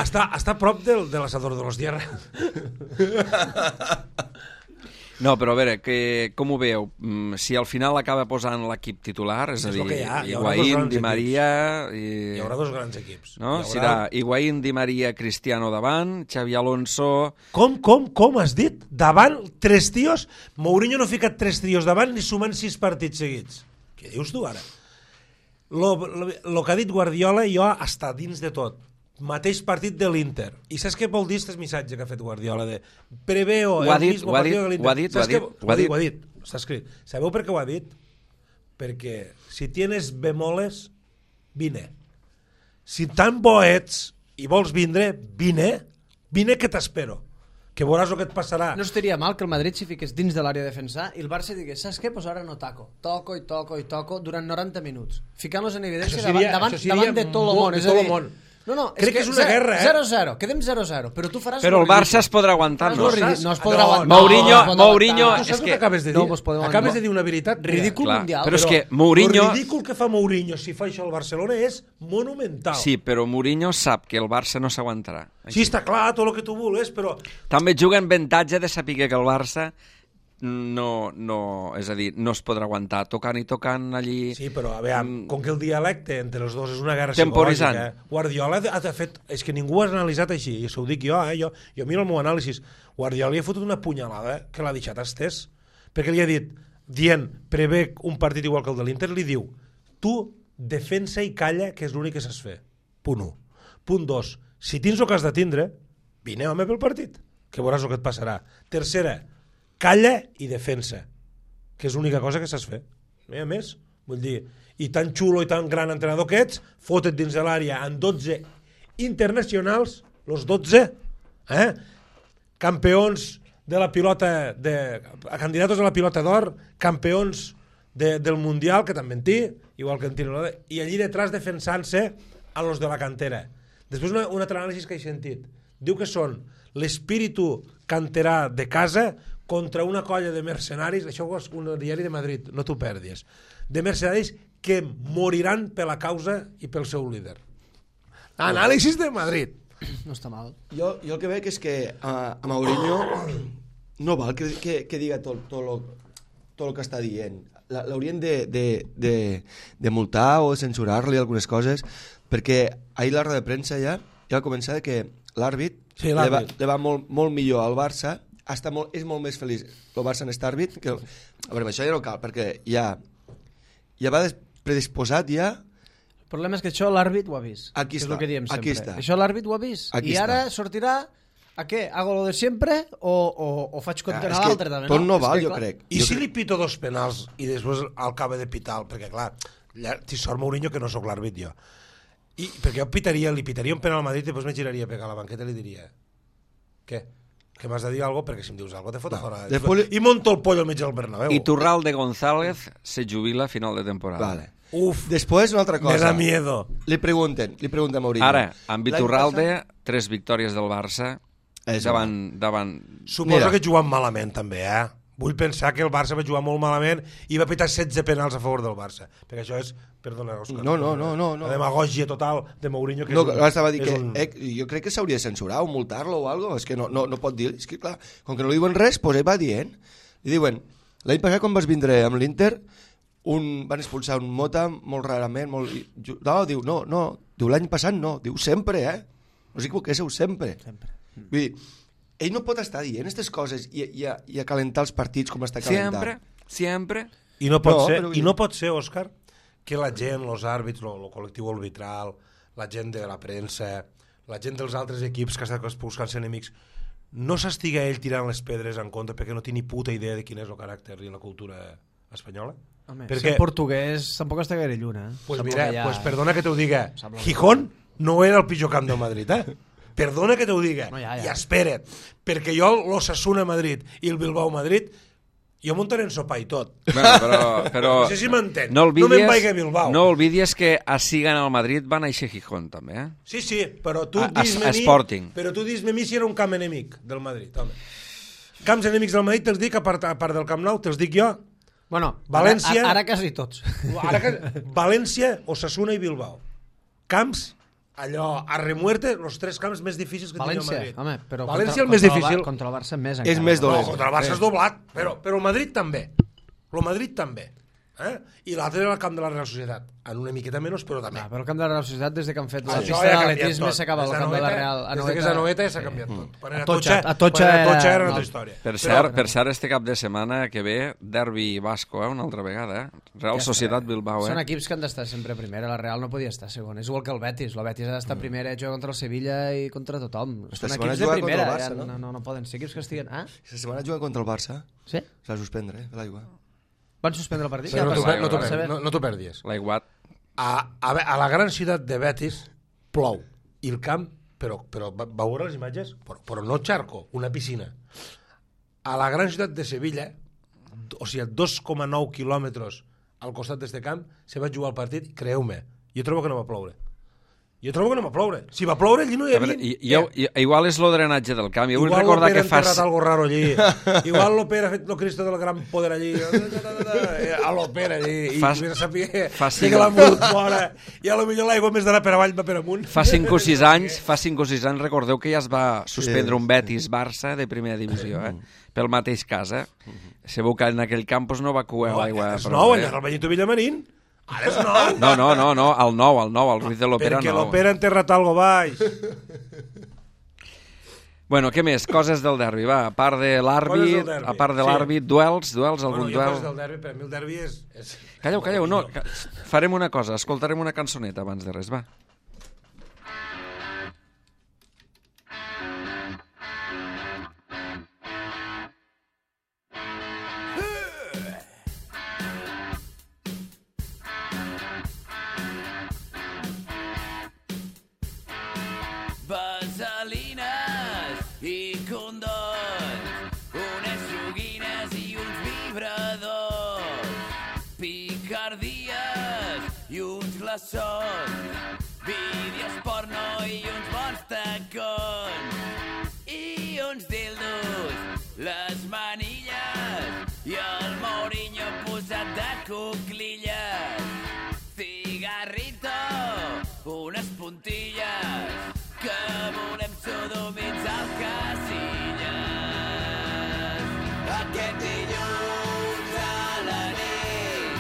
Està a prop de l'assador de los Tierra. No, però a veure, com ho veieu? Si al final acaba posant l'equip titular, és a dir, Higuaín, Di Maria... Hi haurà dos grans equips. No? Serà Higuaín, Di Maria, Cristiano davant, Xavi Alonso... Com has dit? Davant 3 tios? Mourinho no ha ficat 3 tios davant ni sumant 6 partits seguits. Què dius tu ara? Lo que ha dit Guardiola jo està dins de tot. Mateix partit de l'Inter. I saps què vol dir aquest missatge que ha fet Guardiola? De preveo el mismo partido de l'Inter. Ho ha dit. Està escrit. Sabeu per què ho ha dit? Perquè si tienes bemoles, vine. Si tan bo ets i vols vindre, vine que t'espero. Que veuràs el que et passarà. No estaria mal que el Madrid s'hi fiqués dins de l'àrea de defensar i el Barça digués, saps què? Pues ara no toco. Toco durant 90 minuts. Ficant-los en evidència davant de tot el món. És a dir, no, crec que és una guerra, 0-0, quedem 0-0, però tu faràs... Però el Barça es podrà aguantar, no? No es podrà aguantar. Mourinho... Tu saps què acabes de dir? Acabes de dir una veritat ridícul mundial. Però és que Mourinho... El ridícul que fa Mourinho si fa això al Barcelona és monumental. Sí, però Mourinho sap que el Barça no s'aguantarà. Sí, està clar, tot el que tu vulguis, però... També juga en avantatge de saber que el Barça és a dir, no es podrà aguantar tocant allí... Sí, però a veure, com que el dialecte entre els dos és una guerra temporitzant. Psicològica, Guardiola ha fet... És que ningú ha analitzat així, i això ho dic jo, jo miro el meu anàlisi. Guardiola li ha fotut una punyalada que l'ha deixat estès, perquè li ha dit, dient, prevé un partit igual que el de l'Inter, li diu, tu defensa i calla, que és l'únic que saps fer. Punt 1. Punt 2. Si tens el que has de tindre, vine, home, pel partit, que veuràs el que et passarà. Tercera, calla i defensa, que és l'única cosa que saps fer. No hi ha més. Vull dir, i tan xulo i tan gran entrenador que ets, fote't dins de l'àrea en 12 internacionals, los 12, campions de la pilota, candidatos a la pilota d'or, campions del Mundial, que també en té, igual que en tira, i allí detrás defensant-se a los de la cantera. Després un altre anàlisi que he sentit. Diu que són l'espíritu canterà de casa contra una colla de mercenaris, això és un diari de Madrid, no t'ho perdis, de mercenaris que moriran per la causa i pel seu líder. Anàlisis de Madrid. No està mal. Jo el que veig és que a Mourinho no val que diga tot el que està dient. L'haurien de multar o censurar-li algunes coses, perquè ahir la roda de premsa ja va començar que l'àrbit li va molt millor al Barça, és molt més feliç el Barça en aquest àrbit que... A veure, això ja no cal, perquè ja va predisposat ja. El problema és que això l'àrbit ho ha vist. Aquí està, aquí està. Això l'àrbit ho ha vist. I ara sortirà a què? Hago lo de sempre o faig contra l'altre també? Tot no val, jo crec. I si li pito 2 penals i després acaba de pitar, perquè clar, t'hi sort Mourinho que no sóc l'àrbit jo. Perquè jo li pitaria un penal al Madrid i després me giraria a pegar a la banqueta i li diria què? Que m'has de dir alguna cosa, perquè si em dius alguna cosa te fot a fora. I monto el pollo al mig del Bernabéu. I Turralde González se jubila a final de temporada. Vale. Després una altra cosa. Me da miedo. Li pregunten a Mourinho. Ara, amb Iturralde, 3 victòries del Barça davant... Suposo que juguen malament també, Vull pensar que el Barça va jugar molt malament i va pitar 16 penals a favor del Barça. Perquè això és, perdona, Òscar, no. la demagògia total de Mourinho. Que estava dient que jo crec que s'hauria de censurar o multar-lo o alguna cosa. És que no pot dir. És que clar, com que no li diuen res, doncs ell va dient. Li diuen, l'any passat quan vas vindre amb l'Inter, van expulsar un Mota molt rarament. Diu l'any passat no, diu sempre, No us equivoquéssiu, sempre. Vull dir, ell no pot estar dient aquestes coses i a calentar els partits com està calentant. Sempre. I no pot ser, Òscar, que la gent, els àrbits, el col·lectiu arbitral, la gent de la premsa, la gent dels altres equips que estan buscant enemics, no s'estiga ell tirant les pedres en contra perquè no té ni puta idea de quin és el caràcter i la cultura espanyola? Home, perquè... Si en portuguès tampoc està gaire lluna. Pues mira, perdona que t'ho diga, Gijón no era el pitjor camp del Madrid, Perdona que t'ho diga, i espera't, perquè jo l'Osasuna Madrid i el Bilbao Madrid Jo muntaré en sopar i tot. Bueno, però No sé si m'entens. no me'n vaig a Bilbao. No oblidis que a Sigan al Madrid va néixer Gijón, també, eh? Sí, però tu a Sporting. Però tu dis-me a mi si era un camp enemic del Madrid, home. Camps enemics del Madrid te'ls dic, a part del Camp Nou, te'ls dic jo. Bueno, València... ara quasi tots. València, Osasuna i Bilbao. Camps, allò, a remuerte, els 3 camps més difícils que tenia el Madrid. Home, però València el més difícil. Contra el Barça més És encara. més dolent. No, contra el Barça és doblat, però el Madrid també. El Madrid també. I l'altre era el camp de la Real Societat. En una miqueta menys, però també. Però el camp de la Real Societat, des que han fet la Això pista ja ha d'atletisme, canviat s'acaba el tot. camp de la Real. Des que és a Noeta ja s'ha canviat tot. Quan era A Tocha quan era era una altra una història. Per cert, este cap de setmana que ve, derbi basco, una altra vegada, Real Societat Bilbao, Són equips que han d'estar sempre primera, la Real no podia estar segon. És igual que el Betis Ha d'estar primera, juga contra el Sevilla i contra tothom. Esta Són setmana equips de juga contra primera, el Barça, no poden ser equips que estiguen... Aquesta setmana juga contra el Barça. Sí? S'ha de suspendre, de l'aigua. Van suspendre el partit? Però Ja, no t'ho perdis. L'aiguat. A la gran ciutat de Betis plou i el camp, però va veure les imatges, però no xarco, una piscina. A la gran ciutat de Sevilla, o sigui, 2,9 quilòmetres al costat d'este camp, se va jugar el partit, creu-me, jo trobo que no va ploure. Si va ploure, allí no hi havia... Igual és lo drenatge del camp. Jo vull recordar que fa... Igual algo raro allí. Igual l'Opera ha fet el Cristo del Gran Poder allí. A l'Opera allí. I mira, sabia que l'ha mogut fora. I a lo millor l'aigua més d'anar per avall va per amunt. Fa 5 o 6 anys, recordeu que ja es va suspendre un Betis-Barça de primera divisió, pel mateix cas, Sabeu que en aquell campus no va coer l'aigua. És nou, allà al Benito Villamarín. Ara és nou. No, el nou, el Ruiz de l'Opera Perquè nou. l'Opera ha enterrat algo baix. Bueno, què més? Coses del derbi, va. A part de l'àrbit, duels, algun duel? Coses del derbi, per mi el derbi és... Calleu, no, farem una cosa, escoltarem una cançoneta abans de res, va. Vaselines i condons, unes joguines i uns vibradors, picardies i uns glaçons, vídeos porno i uns bons tacons, i uns dildos, les manilles i el Mourinho posat de cuclilles, cigarrito, unes puntilles, que volem sodomitzar el Casillas. Aquest dilluns a la nit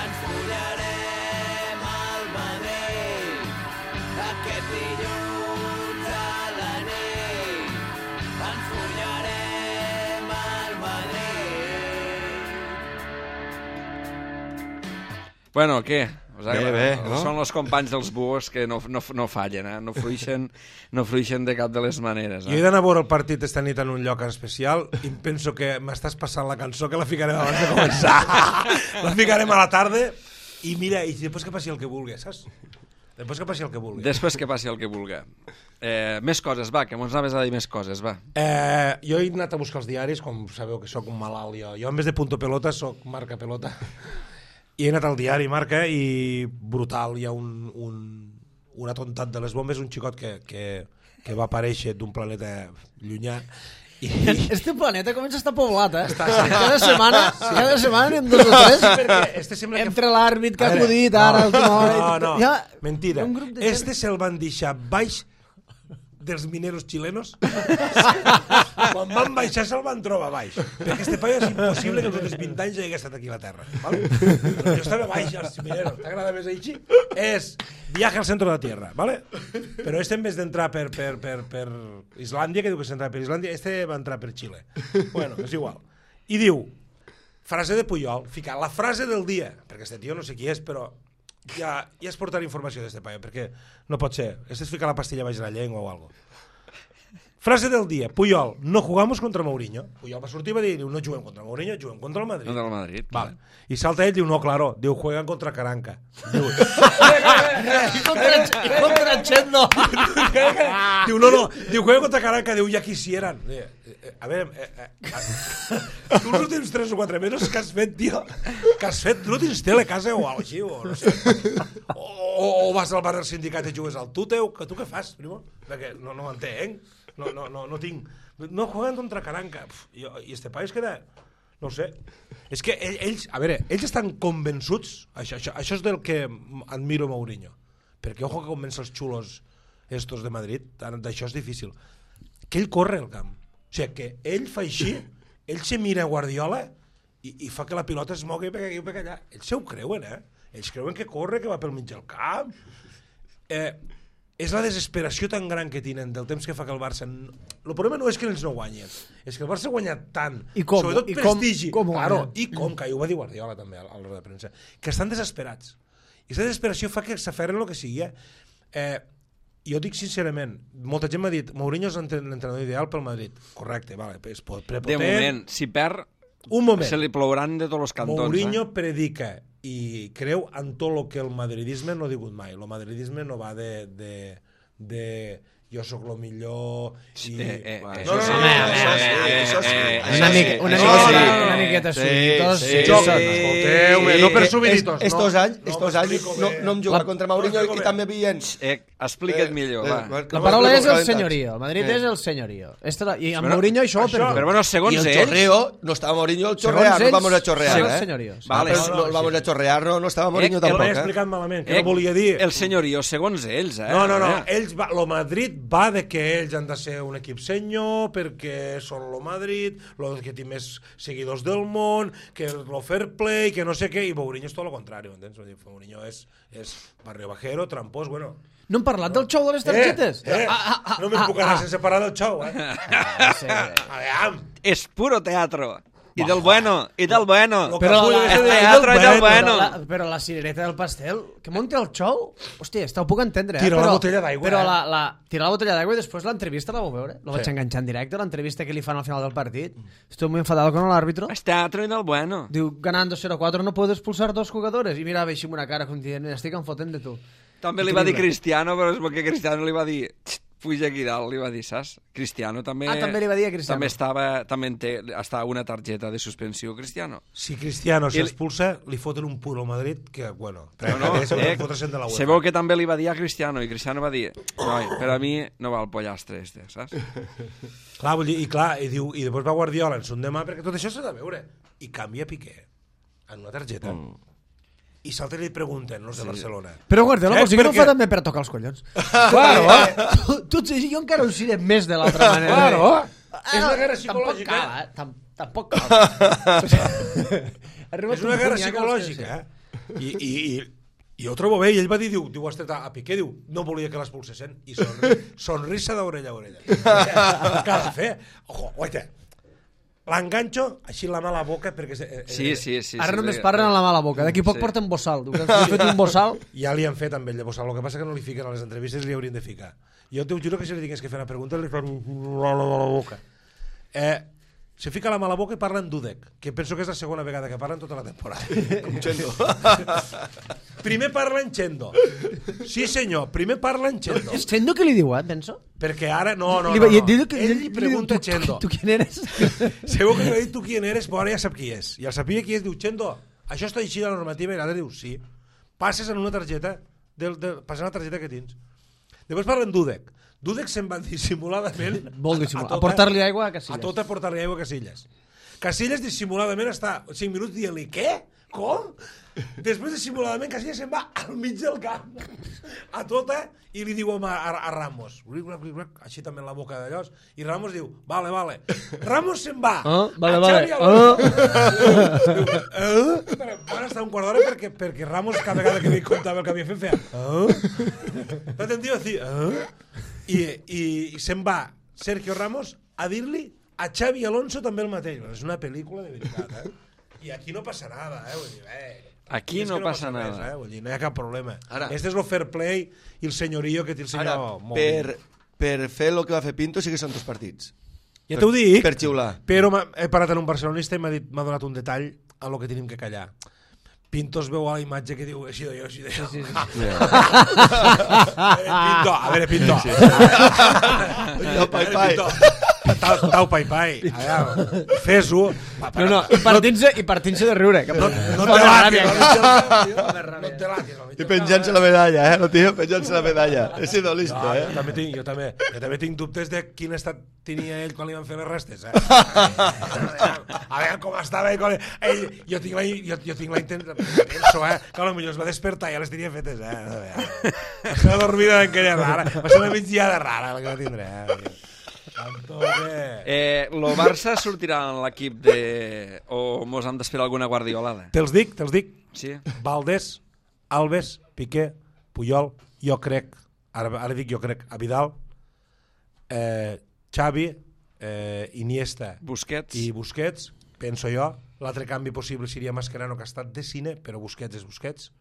ens follarem al Madrid. Aquest dilluns a la nit ens follarem al Madrid. Bueno, què? Bé, no? Són els companys dels buos que no fallen, no fruixen de cap de les maneres. Jo he d'anar a veure el partit esta nit en un lloc especial i penso que m'estàs passant la cançó que la ficarem abans de començar. La ficarem a la tarda i mira, i després que passi el que vulgui, saps? Després que passi el que vulgui. Després que passi el que vulgui. Més coses, va, que mos anaves a dir més coses, va. Jo he anat a buscar els diaris, com sabeu que sóc un malalt jo. Jo en vez de Punto Pelota sóc Marca Pelota. I he anat al diari Marca i brutal, hi ha un atontat de les bombes, un xicot que va aparèixer d'un planeta llunyà. Este planeta comença a estar poblat, Cada setmana n'hi ha 2 o 3. Entre l'àrbit que ha acudit ara... No, mentira. Este se'l van deixar baix dels mineros chilenos. Quan van baixar se'l van trobar baix, perquè este paio és impossible que tots els 20 anys hagi estat aquí a la Terra, ¿vale? Jo estava baix als mineros, t'agrada més així? És viaje al centre de la Tierra, ¿vale? Però este en vez d'entrar per Islàndia, que diu que s'entrava per Islàndia, este va entrar per Xile. Bueno, és igual. I diu, frase de Puyol, fica la frase del dia, perquè este tio no sé qui és, però ja es portarà informació d'este paio, perquè no pot ser. Este es fica la pastilla baix de la llengua o algo. Frase del dia, Puyol, no jugamos contra Mourinho. Puyol va sortir i va dir, no juguem contra Mourinho, juguem contra el Madrid. Contra el Madrid. Vale. I salta ell, diu, no, claro, diu, juegan contra Caranca. Diu, Contra Chendo. Diu, Diu, no, diu, juega contra Caranca, diu, ja quisieran. A veure, tu els últims 3 o 4 mesos que has fet, tio, tu no tens tele a casa o alguna així, o no sé. O vas al bar del sindicat i jugues al Tuteu, que tu què fas, primo? Perquè no m'entenc, no tinc... No juguen contra Caranca. I este país queda... No ho sé. És que ells, a veure, ells estan convençuts, això és del que admiro Mourinho, perquè ojo que convenç els xulos estos de Madrid, d'això és difícil, que ell corre al camp. O sigui, que ell fa així, ell se mira a Guardiola i fa que la pilota es mogui per aquí o per allà. Ells se ho creuen, Ells creuen que corre, que va pel mig del camp. És la desesperació tan gran que tenen del temps que fa que el Barça... El problema no és que ells no guanyen, és que el Barça ha guanyat tant, sobretot prestigi, i com, que ho va dir Guardiola també a l'hora de premsa, que estan desesperats. I aquesta desesperació fa que s'aferren el que sigui. Jo dic sincerament, molta gent m'ha dit Mourinho és l'entrenador ideal pel Madrid. Correcte, vale, és prepotent. De moment, si perd, se li plouran de tots els cantons. Mourinho predica i creu en tot el que el madridisme no ha digut mai. El madridisme no va de jo sóc el millor i... Una miqueta subiditos. Escolteu-me, no per subiditos. Estos anys no em jugava contra Mourinho i també havien... Explica't millor, va. La paraula és el senyorío. Madrid és el senyorío. I amb Mourinho això ho perdó. Però bueno, segons ells... I el chorreo, no estava Mourinho el chorrear, no vamos a chorrear. Segons senyorios. No vamos a chorrear, no estava Mourinho tampoc. L'he explicat malament, que no volia dir... El senyorío, segons ells, No, el Madrid va de que ells han de ser un equip senyor perquè són el Madrid, el que té més seguidors del món, que el fair play, que no sé què, i Mourinho és tot el contrari, m'entens? Mourinho és barrio bajero, trampós, bueno... No hem parlat del xou de les targetes? No me'n puc anar sense parlar del xou, Aviam! És puro teatro. I del bueno. Però teatro i del bueno. Però la cirereta del pastel, que munti el xou, hòstia, ho puc entendre. Tira la botella d'aigua. Però tirar la botella d'aigua i després l'entrevista la vau veure? La vaig enganxar en directe, l'entrevista que li fan al final del partit. Estoy muy enfadado con el árbitro. És teatro i del bueno. Diu, ganando 0-4 no puedo expulsar 2 jugadores. I mirava així amb una cara com dient, estic enfotent de tu. També li va dir Cristiano, però és perquè Cristiano li va dir... Puja aquí dalt, li va dir, saps? Cristiano també... també li va dir a Cristiano. També està una targeta de suspensió, Cristiano. Si Cristiano s'expulsa, li foten un punt al Madrid, que, bueno... Se veu que també li va dir a Cristiano, i Cristiano va dir, noi, per a mi no va el pollastre este, saps? Clar, vull dir, i després va Guardiola en son demà, perquè tot això s'ha de veure. I canvia Piqué en una targeta. I s'altres li pregunten, els de Barcelona. Però Guardiola, vols dir que no ho fa també per tocar els collons? Claro. Jo encara ho diré més de l'altra manera. Claro. És una guerra psicològica. Tampoc cal. És una guerra psicològica, I ho trobo bé, i ell va dir, diu, has tret a Piqué, diu, no volia que l'expulsessin, i sonrisa d'orella a orella. Què ha de fer? Ojo, oita, l'enganxo així la mala boca perquè... Sí. Ara només parlen a la mala boca. D'aquí poc porten bossal. Li han fet un bossal. Ja li han fet amb ell de bossal. El que passa que no li fiquen a les entrevistes, li haurien de ficar. Jo t'ho juro que si li tingués que fer una pregunta li fan la mala boca. Se fica la mala boca i parla en Dudek, que penso que és la segona vegada que parla en tota la temporada. Com Chendo. Primer parla en Chendo. Sí, senyor, primer parla en Chendo. És Chendo que li diu, penso? Perquè ara... No. Ell li pregunta a Chendo. Tu qui eres? Segur que li ha dit tu qui eres, però ara ja sap qui és. I el sabia qui és, diu, Chendo, això està així de la normativa, i l'altre diu, sí. Passes en una targeta, passes en la targeta que tens. Després parla en Dudek. Dudek se'n va dissimuladament a portar-li aigua a Casillas. A tot a portar-li aigua a Casillas. Casillas dissimuladament està 5 minuts dient-li, què? Com? Després dissimuladament Casillas se'n va al mig del camp a tota i li diu a Ramos, així també en la boca d'allò, i Ramos diu, vale. Ramos se'n va a Xavi Alonso. Van estar un quart d'hora perquè Ramos cada vegada que li contava el que havia fet feia no t'entendió dir i se'n va Sergio Ramos a dir-li a Xavi Alonso també el mateix. És una pel·lícula de veritat, I aquí no passa nada, vull dir, aquí no passa nada. Vull dir, no hi ha cap problema. Este és el fair play i el senyorio que té el senyor... Per fer el que va fer Pinto sí que són 2 partits. Ja t'ho dic, per xiular. Però he parat en un barcelonista i m'ha donat un detall a lo que tenim que callar. Pinto es veu a la imatge que diu així d'allò, així d'allò. Sí. Pinto, a veure, Pinto. Jo, pai, pai. Tau, pai, pai. Fes-ho. No, i partint-se de riure. No te latis. I penjant-se la medalla, no, tio? Penjant-se la medalla. He sido listo, Jo també tinc dubtes de quin estat tenia ell quan li van fer les restes, A veure com estava ell. Jo tinc la intenció, penso, que potser es va despertar i ja les tenia fetes, Va ser una dormida d'encara rara. Va ser una migdiada rara la que va tindre, Lo Barça sortirà en l'equip de... o mos han d'esperar alguna guardiolada? Te'ls dic. Sí. Valdés, Alves, Piqué, Puyol, jo crec, ara dic jo crec, a Vidal, Xavi, Iniesta Busquets. i Busquets, penso jo. L'altre canvi possible seria Mascherano, que ha estat de cine, però Busquets és Busquets.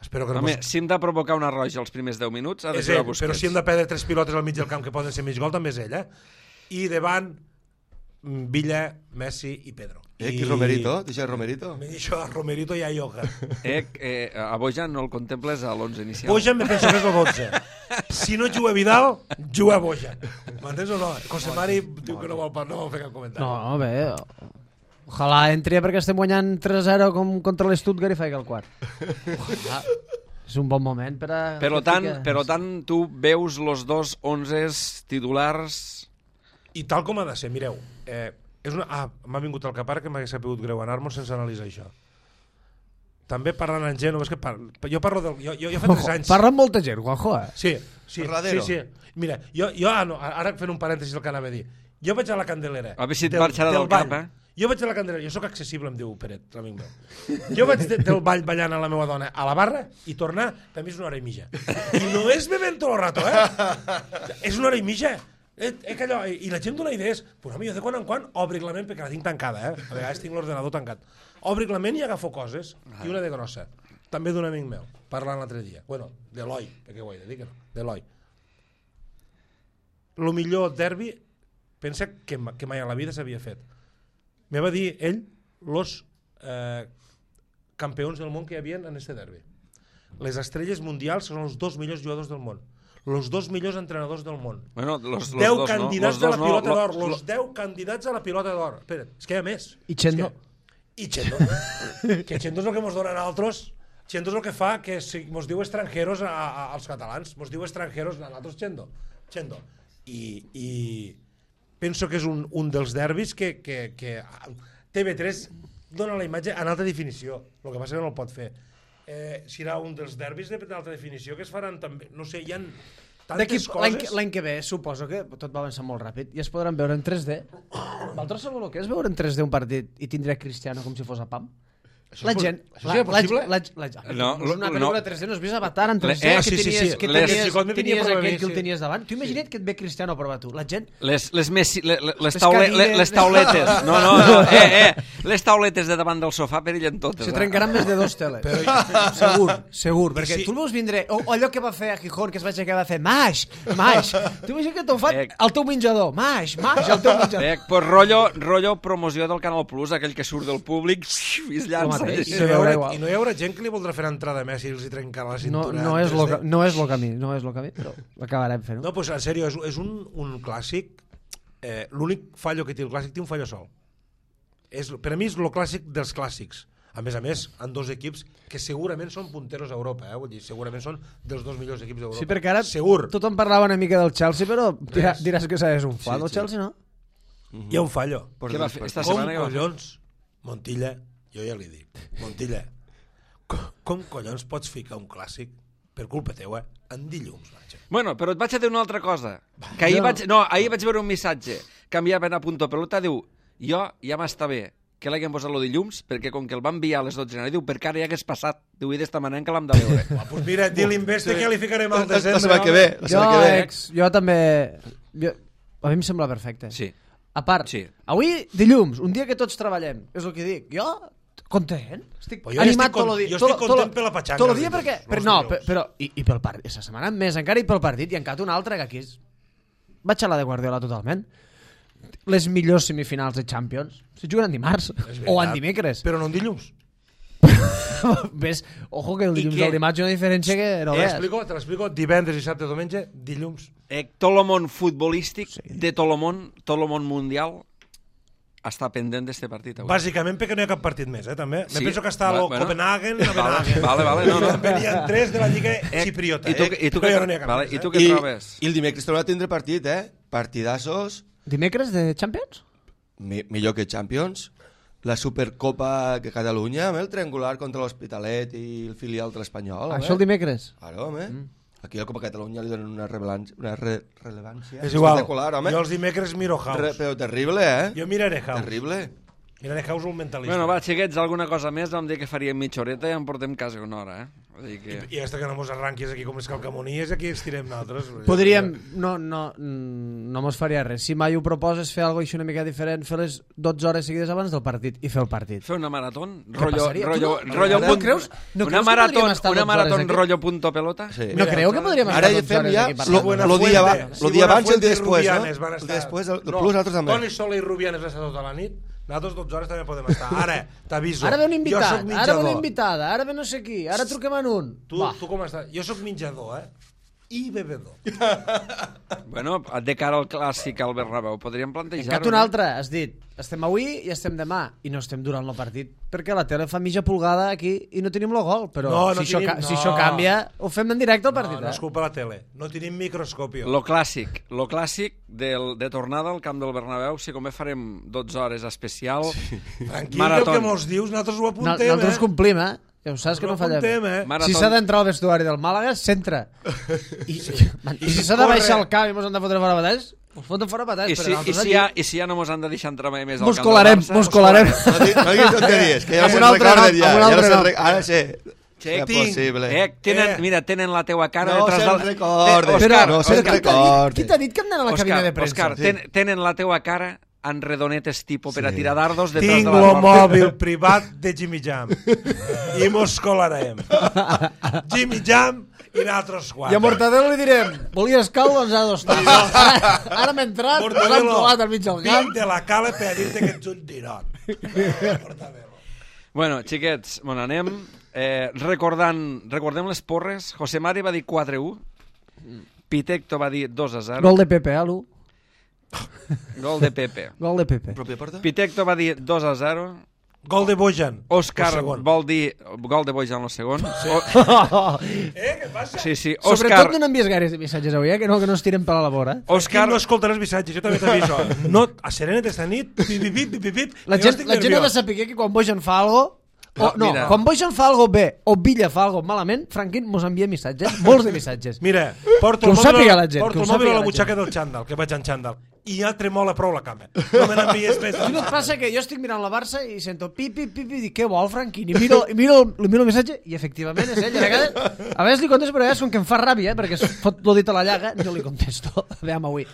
Espero que no Home, si hem de provocar una roja els primers 10 minuts, ha de és ser ell, Busquets. però si hem de perdre 3 pilotes al mig del camp que poden ser mig gol, també és ell, I davant, Villa, Messi i Pedro. Qui és Romerito? Deixa Romerito? Me deixo a Romerito i a Yoga. A Bojan no el contemples a l'11 inicial? Bojan me penso que és el 12. Si no juga Vidal, juga Bojan. M'entens o no? José Mari diu que no vol fer cap comentari. No, bé. Ojalà entri perquè estem guanyant 3-0 com contra l'Stuttgart i faig el quart. Ojalà. És un bon moment per a... Per tant, tu veus los dos 11 titulars... I tal com ha de ser, mireu, m'ha vingut al cap ara que m'hagués sapigut greu anar-me'n sense analitzar això. També parlant en gent, jo parlo del... Jo fa 3 anys... Parla amb molta gent, Juanjo, Sí. Parladero. Sí. Mira, ara fent un parèntesis el que anava a dir. Jo vaig a la Candelera. A veure si et marxarà del cap, Jo vaig a la Candelera, jo sóc accessible, em diu Peret, l'amic meu. Jo vaig del ball ballant a la meva dona a la barra i tornar, també és una hora i mitja. I no és bevent tot el rato, És una hora i mitja. I la gent dona idees. Però jo de quan en quan obric la ment, perquè la tinc tancada, A vegades tinc l'ordenador tancat. Obric la ment i agafo coses, i una de grossa. També d'un amic meu, parlant l'altre dia. Bueno, d'Eloi, perquè ho he de dir que no, d'Eloi. El millor derbi, pensa que mai a la vida s'havia fet. Me va dir ell los campions del món que hi havia en este derbi. Les estrelles mundials són els 2 millors jugadors del món. Los 2 millors entrenadors del món. Bueno, los 10 dos, candidats no? a la pilota d'or. Los 10 candidats a la pilota d'or. Espera, és que hi ha més. I Chendo. Que Chendo és el que mos donen altres. Chendo és el que fa que mos diu estrangeros als catalans. Mos diu estrangeros a nosaltres Chendo. I penso que és un dels derbis que TV3 dona la imatge en alta definició. El que passa que no el pot fer. Serà un dels derbis d'alta definició que es faran també, no sé, hi ha tantes coses. L'any que ve suposo que tot va avançar molt ràpid i es podran veure en 3D. Vosaltres sabeu el que és veure en 3D un partit i tindré Cristiano com si fos a PAM? La gent... Això és possible? No, una pel·lícula 3D, no has vist Avatar en 3D? Sí. Tenies aquell que el tenies davant. Tu imagina't que et ve Cristiano a provar tu. La gent... Les tauletes. No. Les tauletes de davant del sofà perillen totes. Se trencaran més de 2 teles. Segur. Perquè tu el veus vindre... O allò que va fer a Gijón, que es va aixecar i va fer Maix. Tu imagina't que t'ho fa al teu menjador. Maix, al teu menjador. Pues rotllo promoció del Canal Plus, aquell que surt del públic i es llança. I no hi haurà gent que li voldrà fer entrada a Messi i els hi trencarà la cintura. No és el camí, però l'acabarem fent. No, pues en sèrio, és un clàssic. L'únic fallo que té el clàssic té un fallo sol. Per a mi és el clàssic dels clàssics. A més, en 2 equips que segurament són punteros a Europa, vull dir, segurament són dels 2 millors equips d'Europa. Sí, perquè ara segur. Tothom parlava una mica del Chelsea, però diràs que és un fall, el Chelsea, no? Hi ha un fallo. Què va fer esta Com setmana? collons, Montilla, jo ja li dic, Montilla, com collons pots ficar un clàssic per culpa teua en dilluns, vaja? Bueno, però et vaig a dir una altra cosa. Que ahir vaig veure un missatge que enviaven a Punto Pelota, diu, jo ja m'està bé que l'haguem posat el dilluns, perquè com que el van enviar a les 12 de la nit, diu, perquè ara ja hagués passat. Diu, i d'esta manera que l'hem de veure. Pues mira, di l'Investe que ja li ficarem al desembre. La setmana que ve. Jo també... A mi em sembla perfecte. Sí. A part, Sí. avui, dilluns, un dia que tots treballem, és el que dic. Jo, content, estic Però jo animat estic tot el dia. jo estic content per la patxanga. Tot el dia perquè... I pel partit, aquesta setmana més encara, i pel partit, i encara un altre que aquí és... Vaig a la de Guardiola totalment. Les millors semifinals de Champions se juguen en dimarts o en dimecres. Però no en dilluns. Ves, ojo que el I dilluns què? al dimarts hi ha una diferència que no veus. Te l'explico, divendres, dissabte, diumenge, dilluns. Tot el món futbolístic de tot el món mundial està pendent d'este partit avui. Bàsicament perquè no hi ha cap partit més, també. Sí. Me penso que està el Bueno. Copenhagen, Vale, no. Venien 3 de la Lliga Xipriota, I tu però què ja no n'hi ha cap vale, més, i tu què trobes? I el dimecres tornem a tindre partit, Partidassos, Dimecres de Champions? millor que Champions, la Supercopa de Catalunya, el triangular contra l'Hospitalet i el filial de l'Espanyol. Això el dimecres? Claro, home. Aquí al Copa Catalunya li donen una rellevància És igual, espectacular, home. jo els dimecres miro House. Però terrible, Jo miraré House. Terrible. Miraré House un mentalista. Bueno, va, xiquets, alguna cosa més? Vam dir que faríem mitja horeta i en portem quasi una hora, Vull dir que... I hasta que no mos arranquis aquí com les calcamonies, aquí estirem nosaltres. Podríem... No mos faria res. Si mai ho proposes fer alguna cosa una mica diferent, fer les 12 hores seguides abans del partit i fer el partit. Fer una marató? passaria? Rollo No creus que podríem estar 12 hores aquí? rollo punto pelota? Sí. No creu que podríem estar Ara ja 12 fem hores ja aquí parlant? el dia abans i el dia després, no? El El dia després, el plus nosaltres també. Toni Sola i Rubianes va estar tota la nit. Nosaltres 12 hores també podem estar. Ara, t'aviso. Ara ve un Jo invitat, soc ara ve mitjador. una invitada, ara ve no sé qui, ara truquem en un. Tu com estàs? Jo sóc menjador, I bebedor. Bueno, de cara al clàssic al Bernabéu, podríem plantejar-ho. Encat un altre, has dit, estem avui i estem demà, i no estem durant el partit, perquè la tele fa mitja pulgada aquí i no tenim el gol, però No si tenim, si això canvia, ho fem en directe al partit. No és culpa de la tele. No tenim microscòpio. Lo clàssic de tornada al camp del Bernabéu, si com bé farem 12 hores especial, Tranquil, marató. que mos dius, nosaltres ho apuntem, Nosaltres complim, Ja ho saps que no fallem. Marató. Si s'ha d'entrar al vestuari del Màlaga, s'entra. I si s'ha de baixar el camp i mos han de fotre fora batalls, us foten fora batalls. I si ja no mos han de deixar entrar mai més al Mos camp colarem, del Barça... mos colarem. No diguis tonteries, que ja Amb no un se'n altre recorden nom, ja. amb un Ja no altre se'n nom. Ara sí. Che, És possible. Mira, tenen la teua cara No detrás se'n del... recorden. Òscar, No se'n recorden. Qui t'ha dit que hem d'anar a la cabina de premsa? Òscar, tenen la teua cara en redonetes tipo per a tirar dardos detrás Tinc de la lo porta. mòbil privat de Jimmy Jam. I mos colarem. Jimmy Jam i nosaltres I a quatre. Mortadelo li direm, volies cal, doncs ha d'estar. Ara hem entrat, ens hem colat al mig del camp. Vinc de la cala per dir-te que ets un tirot. Mortadelo. Bueno, xiquets, bueno, anem recordem les porres. José Mari va dir 4-1, Pitecto va dir 2-0. Gol de Pepe, l'1. Gol de Pepe. Gol de Pepe. Pròpia porta? Pitecto va dir 2-0. Gol de Bojan. Òscar El segon. vol dir gol de Bojan el segon. Què passa? Sí, sí. Sobretot no n'envies gaires de missatges avui, que no es tiren per a la vora. Òscar no escolta els missatges, jo també t'aviso. No, a Serenet esta nit, pip. La gent ha de saber que quan Bojan fa algo... Mira. Quan Bojan fa algo bé o Villa fa algo malament, Franquín mos envia missatges, molts de missatges. Mira, porto Que ho el mòbil, sàpiga la gent, porto que ho el mòbil sàpiga a la la butxaca del xandall, que vaig en xandall. I ja tremola prou la cama. No me n'envies més. I no et passa que jo estic mirant la Barça i sento pip, i dic, què vol, Franquín? I miro el missatge i efectivament és ell. A vegades li contesto, però a vegades com que em fa ràbia, perquè es fot lo dit a la llaga, jo li contesto. Aviam avui.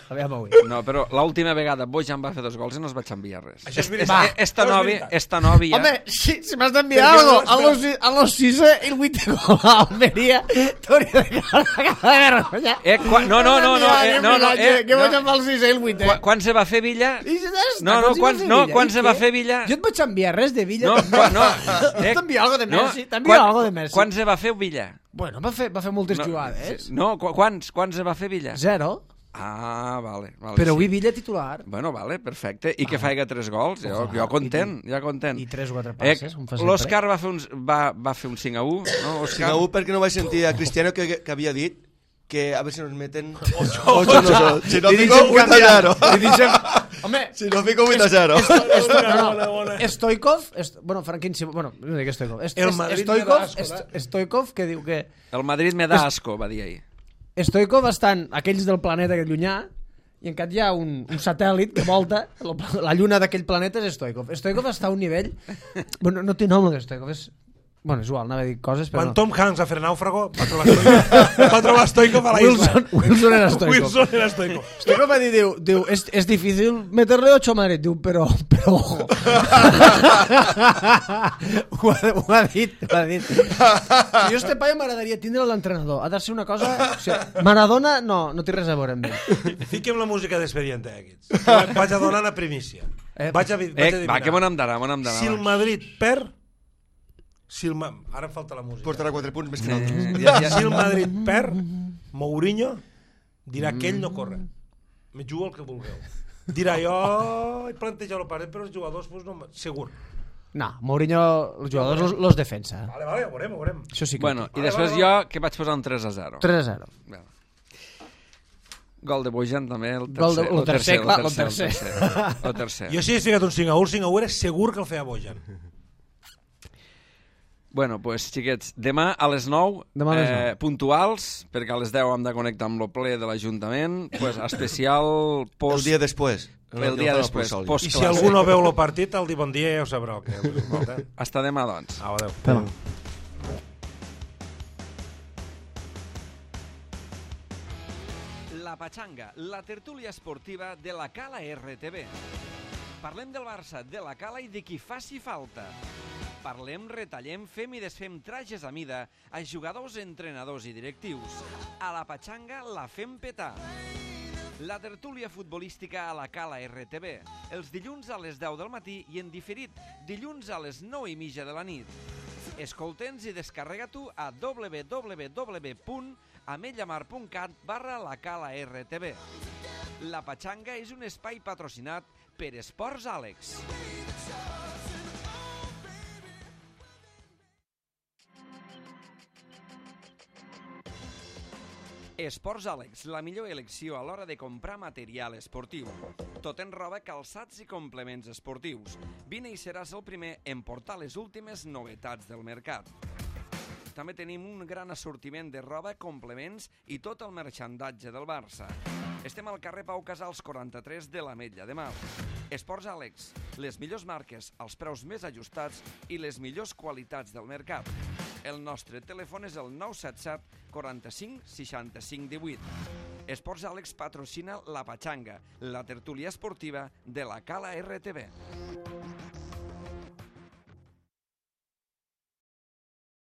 No, però l'última vegada Bojan va fer 2 gols i no es vaig enviar res. Això és veritat. Esta novi ja... Home, si m'has d'enviar algo a los 6 i el 8 gol a Almeria, t'hauria de quedar vergonya. Que Bojan fa el 6 i el 8. Quan se va fer Villa? Quan se va fer Villa? Jo et vaig enviar res de Villa. No. T'envia algo de Messi. T'envia algo de Messi. Quan se va fer Villa? Bueno, va fer moltes jugades. No, quan se va fer Villa? 0. Ah, vale. Però avui Villa titular. Bueno, vale, perfecte. I que faiga 3 gols, jo content. I 3 o 4 passes. L'Òscar va fer un 5-1, no, Òscar? 5-1 perquè no vaig sentir a Cristiano que havia dit que a ver si nos meten 8 nosotros. Si no fico 8-0. Home, Si no fico 8-0. Stoikov, bueno, Franquín, no dic Stoikov. El Madrid me da asco, Stoikov, que diu que... El Madrid me da asco, va dir ahir. Stoikov estan aquells del planeta aquest llunyà i encara hi ha un satèl·lit que volta la lluna d'aquell planeta és Stoikov. Stoikov està a un nivell... Bueno, no té nom el Stoikov, és... Bueno, és igual, anava a dir coses, però Quan no. Tom Hanks va fer Nàufrago, va trobar Stoikov a la isla. Wilson era Stoikov. Wilson era Stoikov. Stoikov va dir, diu, es difícil meterle 8 a Madrid, diu, però ojo. ho ha dit. Jo este paio m'agradaria tindre l'entrenador. Ha de ser una cosa... O sigui, Maradona no té res a veure amb ell. Fiquem la música d'expediente, aquests. Vaig a donar la primícia. Vaig a dir, Va, que m'ho n'hem d'anar, si el Madrid perd, Si ara em falta la música. Portarà 4 punts més que nosaltres. Si el Madrid perd, Mourinho dirà que ell no corre. Me jugo el que vulgueu. Dirà, jo he plantejat el partit, però els jugadors pues, no... Segur. No, Mourinho, els jugadors los defensa. Vale, ho veurem. Això sí que Bueno, i després jo, que vaig posar un 3-0. 3-0. Bueno. Gol de Bojan també, el tercer. El tercer. Jo si hagués ficat un 5-1, el 5-1 era segur que el feia Bojan. Bueno, pues, xiquets, demà a les 9, puntuals, perquè a les 10 hem de connectar amb el ple de l'Ajuntament, pues, especial post... El dia després. El dia després, I si algú no veu el partit, el dir bon dia ja ho sabrà. Hasta demà, doncs. Au, adéu. Demà. La Patxanga, la tertúlia esportiva de la Cala RTV. Parlem del Barça, de la Cala i de qui faci falta. Parlem, retallem, fem i desfem trajes a mida a jugadors, entrenadors i directius. A la Patxanga la fem petar. La tertúlia futbolística a la Cala RTV, els dilluns a les 10 del matí i en diferit, dilluns a les 9:30 de la nit. Escolta'ns i descarrega-t'ho a www.ametlllamar.cat/la Cala RTV. La Patxanga és un espai patrocinat per Esports Àlex. Esports Àlex, la millor elecció a l'hora de comprar material esportiu. Tot en roba, calçats i complements esportius. Vine i seràs el primer en portar les últimes novetats del mercat. També tenim un gran assortiment de roba, complements i tot el merxandatge del Barça. Estem al carrer Pau Casals 43 de l'Ametlla de Mar. Esports Àlex, les millors marques, els preus més ajustats i les millors qualitats del mercat. El nostre telèfon és el 977 45 65 18. Esports Àlex patrocina la Patxanga, la tertúlia esportiva de la Cala RTV.